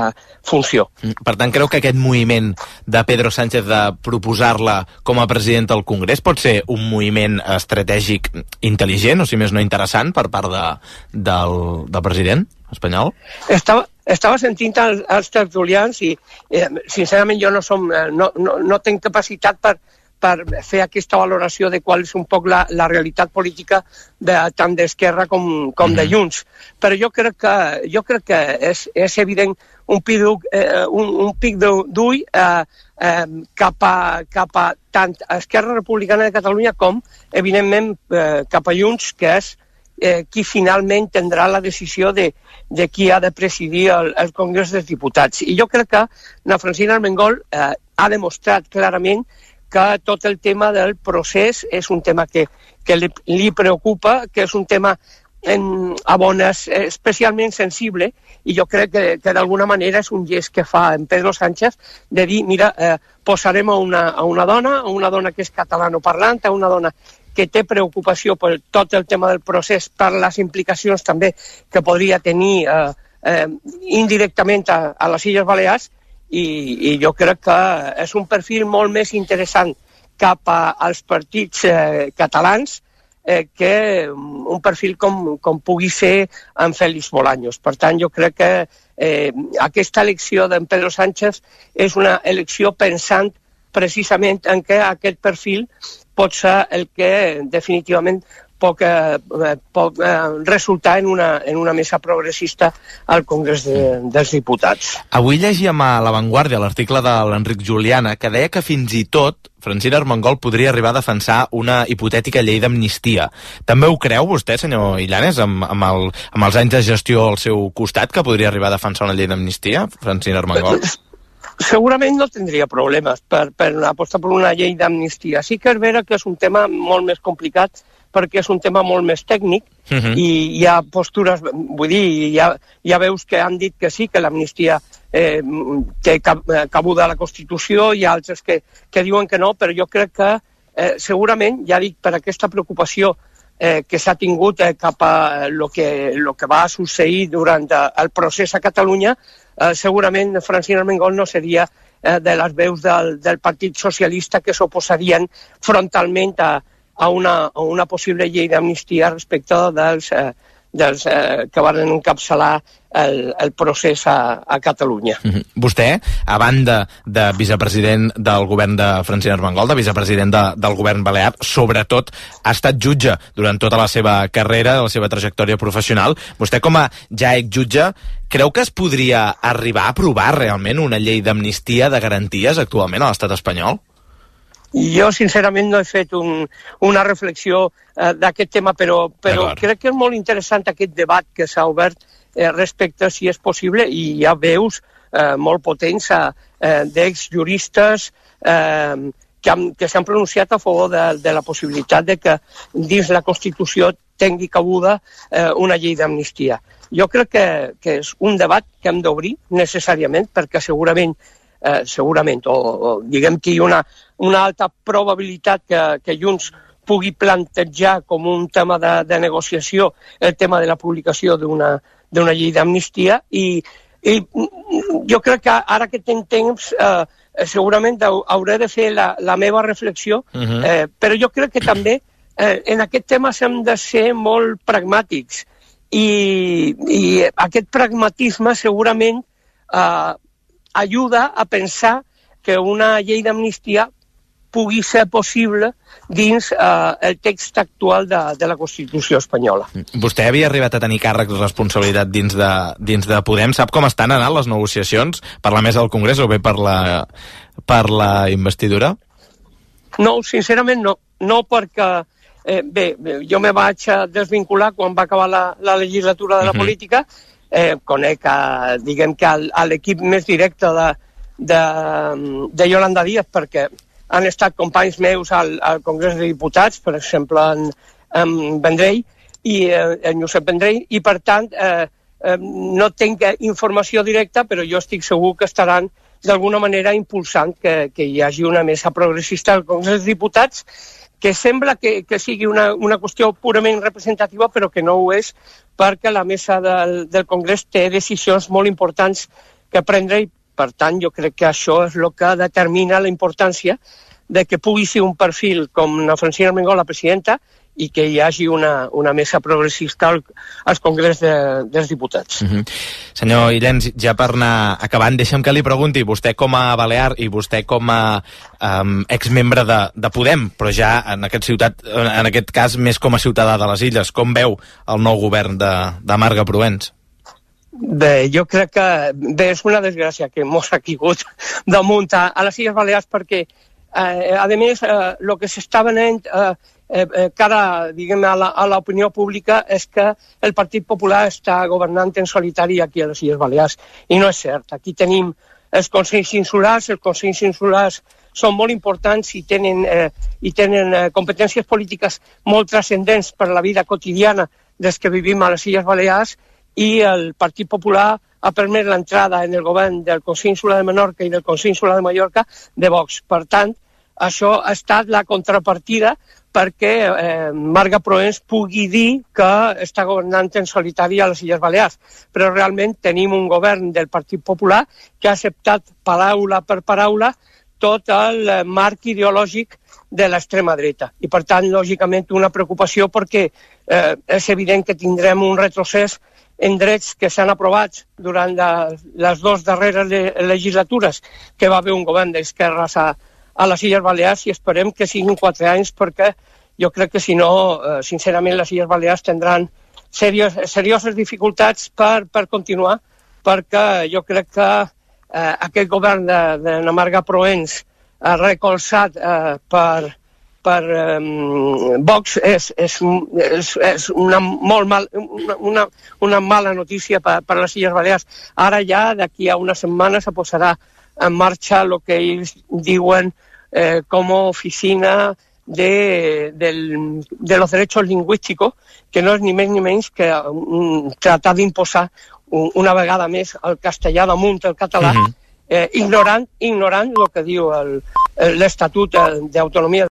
funció. Per tant, creu que aquest moviment de Pedro Sánchez de proposar-la com a president del Congrés pot ser un moviment estratègic intel·ligent, o si més no interessant, per part de, del, del president espanyol? Estava, estava sentint els, els tertulians i, eh, sincerament, jo no, som, no, no, no tinc capacitat per, per fer aquesta valoració de qual és un poc la, la realitat política de, tant d'Esquerra com, com de Junts. Però jo crec que, jo crec que és, és evident un pic, eh, un, un pic d'ull eh, eh, cap, a, cap a tant Esquerra Republicana de Catalunya com, evidentment, eh, cap a Junts, que és eh, qui finalment tindrà la decisió de, de qui ha de presidir el, el Congrés dels Diputats. I jo crec que la Francina Armengol eh, ha demostrat clarament que tot el tema del procés és un tema que, que li, li preocupa, que és un tema en, a bones especialment sensible, i jo crec que, que d'alguna manera és un gest que fa en Pedro Sánchez de dir, mira, eh, posarem a una, a una dona, a una dona que és catalanoparlant, a una dona que té preocupació per tot el tema del procés, per les implicacions també que podria tenir eh, eh, indirectament a, a les Illes Balears, i, i jo crec que és un perfil molt més interessant cap a, als partits eh, catalans eh, que un perfil com, com pugui ser en Félix Bolaños. Per tant, jo crec que eh, aquesta elecció d'en Pedro Sánchez és una elecció pensant precisament en què aquest perfil pot ser el que definitivament pot, eh, pot eh, resultar en una, en una mesa progressista al Congrés de, dels Diputats. Avui llegíem a La Vanguardia l'article de l'Enric Juliana que deia que fins i tot Francina Armengol podria arribar a defensar una hipotètica llei d'amnistia. També ho creu vostè, senyor Illanes, amb, amb, el, amb els anys de gestió al seu costat, que podria arribar a defensar una llei d'amnistia, Francina Armengol? Segurament no tindria problemes per, per apostar per una llei d'amnistia. Sí que és vera que és un tema molt més complicat perquè és un tema molt més tècnic uh-huh. i hi ha postures, vull dir, hi ha, hi ha veus que han dit que sí, que l'amnistia eh, té cabuda a la Constitució, hi ha altres que, que diuen que no, però jo crec que eh, segurament, ja dic, per aquesta preocupació eh, que s'ha tingut eh, cap a lo que, lo que va succeir durant el procés a Catalunya, eh, segurament Francina Armengol no seria eh, de les veus del, del Partit Socialista que s'oposarien frontalment a a una, a una possible llei d'amnistia respecte dels, eh, dels eh, que van encapçalar el, el procés a, a Catalunya. Mm-hmm. Vostè, a banda de vicepresident del govern de Francina Armengol, de vicepresident de, del govern balear, sobretot ha estat jutge durant tota la seva carrera, la seva trajectòria professional. Vostè, com a ja exjutge, creu que es podria arribar a aprovar realment una llei d'amnistia de garanties actualment a l'estat espanyol? Jo, sincerament, no he fet un, una reflexió eh, d'aquest tema, però, però crec que és molt interessant aquest debat que s'ha obert eh, respecte a si és possible, i hi ha veus eh, molt potents eh, d'exjuristes eh, que, que s'han pronunciat a favor de, de la possibilitat de que dins la Constitució tingui cabuda eh, una llei d'amnistia. Jo crec que, que és un debat que hem d'obrir necessàriament, perquè segurament Eh, segurament, o, o diguem que hi ha una, una alta probabilitat que, que Junts pugui plantejar com un tema de, de negociació el tema de la publicació d'una d'una llei d'amnistia, i, i jo crec que ara que tinc temps eh, segurament hauré de fer la, la meva reflexió, uh-huh. eh, però jo crec que també eh, en aquest tema hem de ser molt pragmàtics, i, i aquest pragmatisme segurament eh, ajuda a pensar que una llei d'amnistia pugui ser possible dins eh, el text actual de, de la Constitució espanyola. Vostè havia arribat a tenir càrrecs de responsabilitat dins de, dins de Podem. Sap com estan anant les negociacions per la mesa del Congrés o bé per la, per la investidura? No, sincerament no. No perquè, eh, bé, jo me vaig desvincular quan va acabar la, la legislatura de la uh-huh. política. Eh, conec a, diguem que a, a l'equip més directe de, de, de Yolanda Díaz, perquè han estat companys meus al, al Congrés de Diputats, per exemple en, en Vendrell i eh, en Josep Vendrell, i per tant eh, eh, no tinc informació directa, però jo estic segur que estaran d'alguna manera impulsant que, que hi hagi una mesa progressista al Congrés de Diputats, que sembla que, que sigui una, una qüestió purament representativa, però que no ho és, perquè la mesa del, del Congrés té decisions molt importants que prendre, i per tant jo crec que això és el que determina la importància de que pugui ser un perfil com la Francina Armengol, la presidenta, i que hi hagi una, una mesa progressista al, al Congrés de, dels Diputats. Uh-huh. Senyor Illens, ja per anar acabant, deixa'm que li pregunti, vostè com a balear i vostè com a um, exmembre de, de Podem, però ja en aquest, ciutat, en aquest cas més com a ciutadà de les Illes, com veu el nou govern de, de Marga Proens? Bé, jo crec que bé, és una desgràcia que mos ha caigut damunt a, a les Illes Balears, perquè eh, a més el eh, que s'està venent eh, Eh, eh, cara, diguem, a l'opinió pública és que el Partit Popular està governant en solitari aquí a les Illes Balears, i no és cert. Aquí tenim els Consells Insulars, els Consells Insulars són molt importants i tenen, eh, i tenen eh, competències polítiques molt transcendents per la vida quotidiana des que vivim a les Illes Balears, i el Partit Popular ha permès l'entrada en el govern del Consell Insular de Menorca i del Consell Insular de Mallorca de Vox. Per tant, això ha estat la contrapartida perquè eh, Marga Proens pugui dir que està governant en solitari a les Illes Balears. Però realment tenim un govern del Partit Popular que ha acceptat paraula per paraula tot el marc ideològic de l'extrema dreta. I, per tant, lògicament, una preocupació perquè eh, és evident que tindrem un retrocés en drets que s'han aprovat durant la, les dues darreres legislatures que va haver un govern d'esquerres a, a les Illes Balears, i esperem que siguin quatre anys, perquè jo crec que si no, eh, sincerament, les Illes Balears tindran serios, serioses dificultats per, per continuar, perquè jo crec que eh, aquest govern de, de la Marga Proens eh, recolzat eh, per, per eh, Vox és, és, és, és una, molt mal, una, una mala notícia per, per les Illes Balears. Ara ja, d'aquí a una setmana, se posarà en marxa el que ells diuen eh, com a oficina de, del, de los derechos lingüísticos, que no és ni més ni menys que um, tratar d'imposar un, una vegada més el castellà damunt el català, uh-huh. eh, ignorant, ignorant el que diu l'Estatut d'autonomia